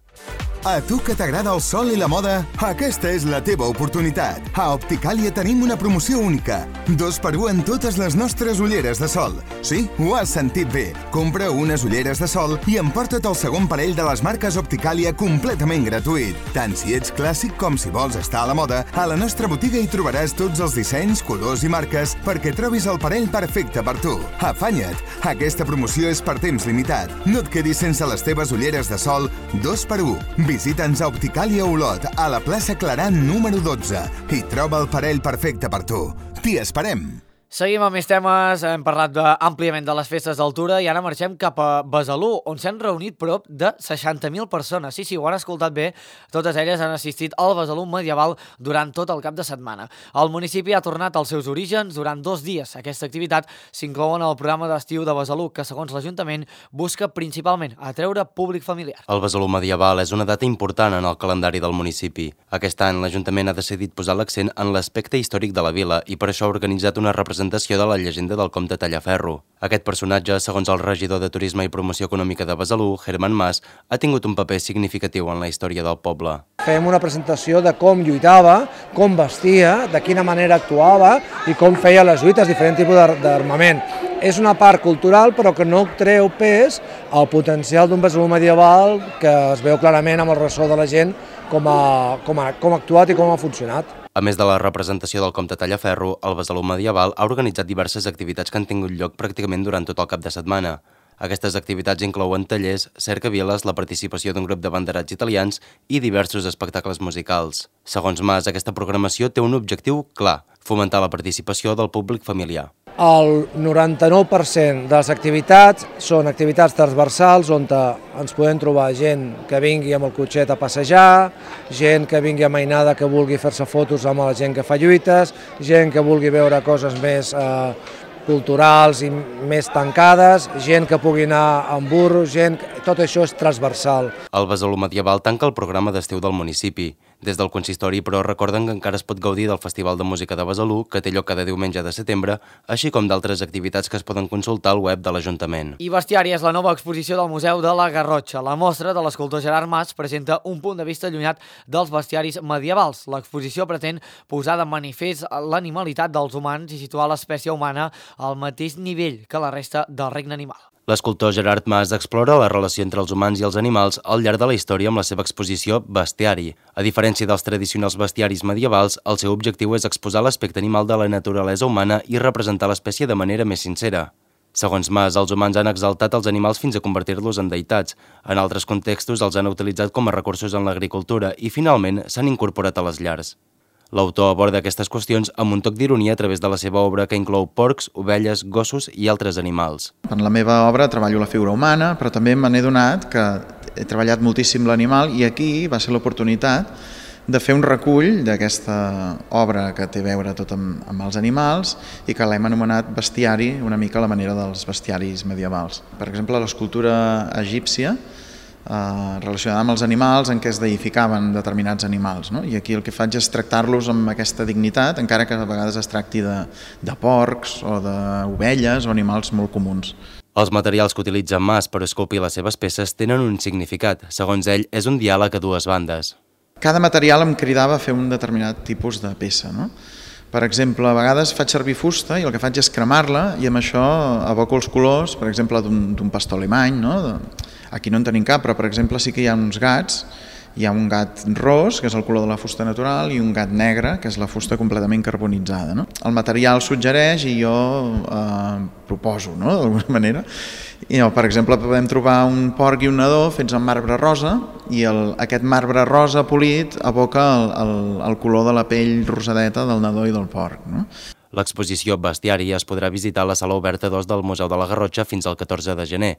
A tu que t'agrada el sol i la moda, aquesta és la teva oportunitat. A Opticàlia tenim una promoció única. Dos per un en totes les nostres ulleres de sol. Sí, ho has sentit bé. Compra unes ulleres de sol i emporta't el segon parell de les marques Opticàlia completament gratuït. Tant si ets clàssic com si vols estar a la moda, a la nostra botiga hi trobaràs tots els dissenys, colors i marques perquè trobis el parell perfecte per tu. Afanya't! Aquesta promoció és per temps limitat. No et quedis sense les teves ulleres de sol dos per un. Visita'ns a Opticàlia Olot, a la plaça Claran número dotze i troba el parell perfecte per tu. T'hi esperem! Seguim amb més temes, hem parlat de, àmpliament de les festes d'altura i ara marxem cap a Besalú, on s'han reunit prop de seixanta mil persones. Sí, sí, ho han escoltat bé, totes elles han assistit al Besalú medieval durant tot el cap de setmana. El municipi ha tornat als seus orígens durant dos dies. Aquesta activitat s'inclou en el programa d'estiu de Besalú, que segons l'Ajuntament busca principalment atreure públic familiar. El Besalú medieval és una data important en el calendari del municipi. Aquest any l'Ajuntament ha decidit posar l'accent en l'aspecte històric de la vila i per això ha organitzat una representació de la llegenda del comte Tallaferro. Aquest personatge, segons el regidor de Turisme i Promoció Econòmica de Besalú, Herman Mas, ha tingut un paper significatiu en la història del poble. Fem una presentació de com lluitava, com vestia, de quina manera actuava i com feia les lluites, diferent tipus d'armament. És una part cultural però que no treu pes al potencial d'un Besalú medieval que es veu clarament amb el ressò de la gent com ha, com ha, com ha actuat i com ha funcionat. A més de la representació del comte Tallaferro, el Besalú medieval ha organitzat diverses activitats que han tingut lloc pràcticament durant tot el cap de setmana. Aquestes activitats inclouen tallers, cercaviles, la participació d'un grup de banderats italians i diversos espectacles musicals. Segons Mas, aquesta programació té un objectiu clar: fomentar la participació del públic familiar. El noranta-nou per cent de les activitats són activitats transversals on ens podem trobar gent que vingui amb el cotxet a passejar, gent que vingui amainada que vulgui fer-se fotos amb la gent que fa lluites, gent que vulgui veure coses més eh, culturals i més tancades, gent que pugui anar amb burros, gent... tot això és transversal. El Besalú medieval tanca el programa d'estiu del municipi. Des del consistori, però, recorden que encara es pot gaudir del Festival de Música de Besalú, que té lloc cada diumenge de setembre, així com d'altres activitats que es poden consultar al web de l'Ajuntament. I Bestiari és la nova exposició del Museu de la Garrotxa. La mostra de l'escultor Gerard Mas presenta un punt de vista allunyat dels bestiaris medievals. L'exposició pretén posar de manifest l'animalitat dels humans i situar l'espècie humana al mateix nivell que la resta del regne animal. L'escultor Gerard Mas explora la relació entre els humans i els animals al llarg de la història amb la seva exposició Bestiari. A diferència dels tradicionals bestiaris medievals, el seu objectiu és exposar l'aspecte animal de la naturalesa humana i representar l'espècie de manera més sincera. Segons Mas, els humans han exaltat els animals fins a convertir-los en deïtats. En altres contextos els han utilitzat com a recursos en l'agricultura i, finalment, s'han incorporat a les llars. L'autor aborda aquestes qüestions amb un toc d'ironia a través de la seva obra que inclou porcs, ovelles, gossos i altres animals. En la meva obra treballo la figura humana, però també me n'he donat que he treballat moltíssim l'animal i aquí va ser l'oportunitat de fer un recull d'aquesta obra que té a veure tot amb, amb els animals i que l'hem anomenat bestiari, una mica a la manera dels bestiaris medievals. Per exemple, l'escultura egípcia Uh, relacionada amb els animals en què es deificaven determinats animals, no? I aquí el que faig és tractar-los amb aquesta dignitat, encara que a vegades es tracti de, de porcs o d'ovelles o animals molt comuns. Els materials que utilitza Mas per esculpir les seves peces tenen un significat. Segons ell, és un diàleg a dues bandes. Cada material em cridava a fer un determinat tipus de peça, no? Per exemple, a vegades faig servir fusta i el que faig és cremar-la i amb això evoco els colors, per exemple, d'un pastor alemany, no? Aquí no en tenim cap, però per exemple sí que hi ha uns gats. Hi ha un gat ros, que és el color de la fusta natural, i un gat negre, que és la fusta completament carbonitzada, no? El material suggereix i jo eh, proposo, no? D'alguna manera. I, no, per exemple, podem trobar un porc i un nadó fets amb marbre rosa i el, aquest marbre rosa polit evoca el, el, el color de la pell rosadeta del nadó i del porc, no? L'exposició Bestiari es podrà visitar a la sala oberta dos del Museu de la Garrotxa fins al catorze de gener.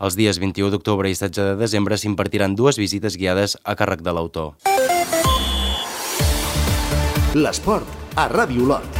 Els dies vint-i-u d'octubre i setze de desembre s'impartiran dues visites guiades a càrrec de l'autor. L'esport a Ràdio Olot.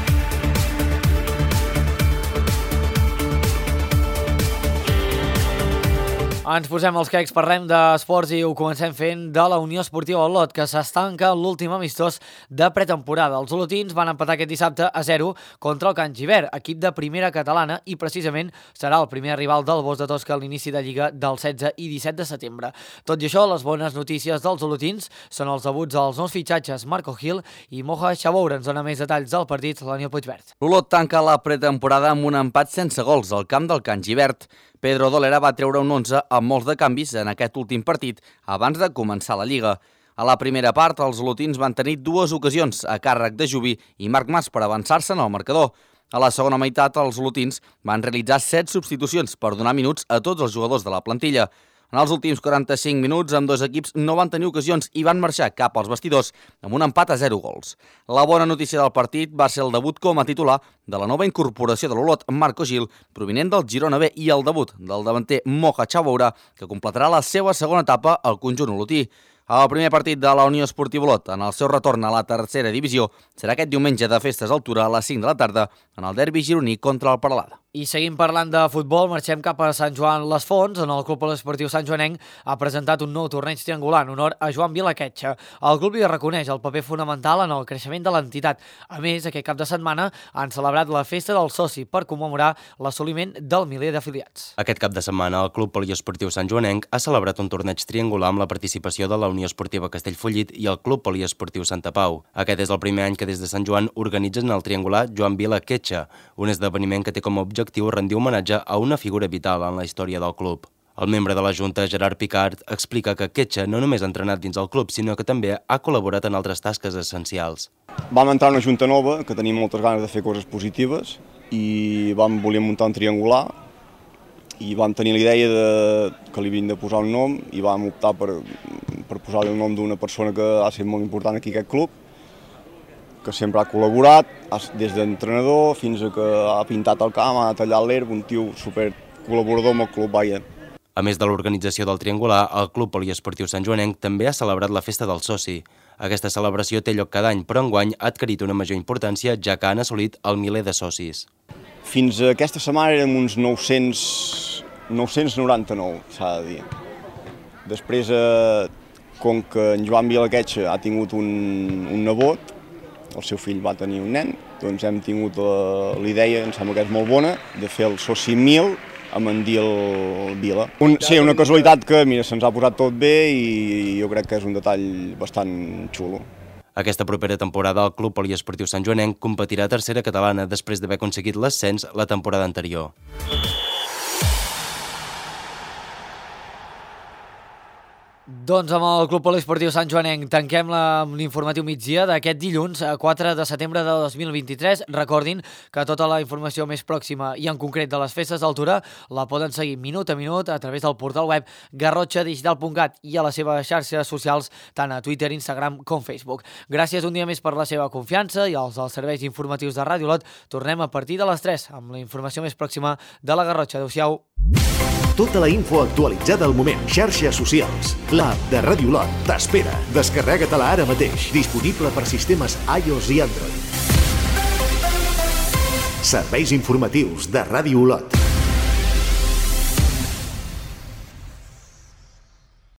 Ens posem els quecs, parlem d'esports i ho comencem fent de la Unió Esportiva Olot, que s'estanca l'últim amistós de pretemporada. Els olotins van empatar aquest dissabte a zero contra el Can Givert, equip de primera catalana, i precisament serà el primer rival del Bos de Tosca a l'inici de Lliga del setze i disset de setembre. Tot i això, les bones notícies dels olotins són els debuts dels nous fitxatges Marco Gil i Moja Chaboura. Ens dona més detalls del partit l'Aniol Puigverd. L'Olot tanca la pretemporada amb un empat sense gols al camp del Can Givert. Pedro Dolera va treure un onze amb molts de canvis en aquest últim partit abans de començar la Lliga. A la primera part, els olotins van tenir dues ocasions a càrrec de Jubi i Marc Mas per avançar-se en el marcador. A la segona meitat, els olotins van realitzar set substitucions per donar minuts a tots els jugadors de la plantilla. En els últims quaranta-cinc minuts, amb dos equips no van tenir ocasions i van marxar cap als vestidors amb un empat a zero gols. La bona notícia del partit va ser el debut com a titular de la nova incorporació de l'Olot, Marco Gil, provinent del Girona B, i el debut del davanter Moja Chaboura, que completarà la seva segona etapa al conjunt olotí. El primer partit de la Unió Esportiva Olot en el seu retorn a la tercera divisió serà aquest diumenge de festes d'altura a les cinc de la tarda en el derbi gironí contra el Peralada. I seguim parlant de futbol, marxem cap a Sant Joan les Fonts, on el Club Poliesportiu Sant Joanenc ha presentat un nou torneig triangular en honor a Joan Vilaquetxa. El club hi reconeix el paper fonamental en el creixement de l'entitat. A més, aquest cap de setmana han celebrat la festa del soci per commemorar l'assoliment del miler d'afiliats. Aquest cap de setmana, el Club Poliesportiu Sant Joanenc ha celebrat un torneig triangular amb la participació de la Unió Esportiva Castellfollit i el Club Poliesportiu Santa Pau. Aquest és el primer any que des de Sant Joan organitzen el triangular Joan Vilaquetxa, un esdeveniment que té com a objectiu rendir homenatge a una figura vital en la història del club. El membre de la Junta, Gerard Picard, explica que Quetxa no només ha entrenat dins el club, sinó que també ha col·laborat en altres tasques essencials. Vam entrar en una Junta nova, que tenim moltes ganes de fer coses positives, i vam voler muntar un triangular, i vam tenir la idea de, que li havien de posar un nom, i vam optar per, per posar-li el nom d'una persona que ha estat molt important aquí a aquest club, que sempre ha col·laborat, des d'entrenador fins a que ha pintat el camp, ha tallat l'herba, un tio super col·laborador amb el club, vaja. A més de l'organització del triangular, el Club Poliesportiu Sant Joanenc també ha celebrat la festa del soci. Aquesta celebració té lloc cada any, però enguany ha adquirit una major importància, ja que han assolit el miler de socis. Fins a aquesta setmana érem uns nou-cents noranta-nou, s'ha de dir. Després, com que en Joan Vilaquetxa ha tingut un, un nebot, el seu fill va tenir un nen, doncs hem tingut la idea, em sembla que és molt bona, de fer el soci mil amb en Dil Vila. Un, sí, una casualitat que, mira, se'ns ha posat tot bé i jo crec que és un detall bastant xulo. Aquesta propera temporada el Club Poliesportiu Sant Joanenc competirà a tercera catalana després d'haver aconseguit l'ascens la temporada anterior. Doncs amb el Club Poliesportiu Sant Joanenc tanquem l'informatiu migdia d'aquest dilluns, quatre de setembre de dos mil vint-i-tres. Recordin que tota la informació més pròxima i en concret de les festes d'altura la poden seguir minut a minut a través del portal web garrotxa digital punt cat i a les seves xarxes socials tant a Twitter, Instagram com Facebook. Gràcies un dia més per la seva confiança i als dels serveis informatius de Ràdio Olot. Tornem a partir de les tres amb la informació més pròxima de la Garrotxa. Adéu-siau. Tota la info actualitzada al moment. Xarxes socials. L'app de Ràdio Olot t'espera. Descarrega-te-la ara mateix. Disponible per sistemes iOS i Android. Serveis informatius de Ràdio Olot.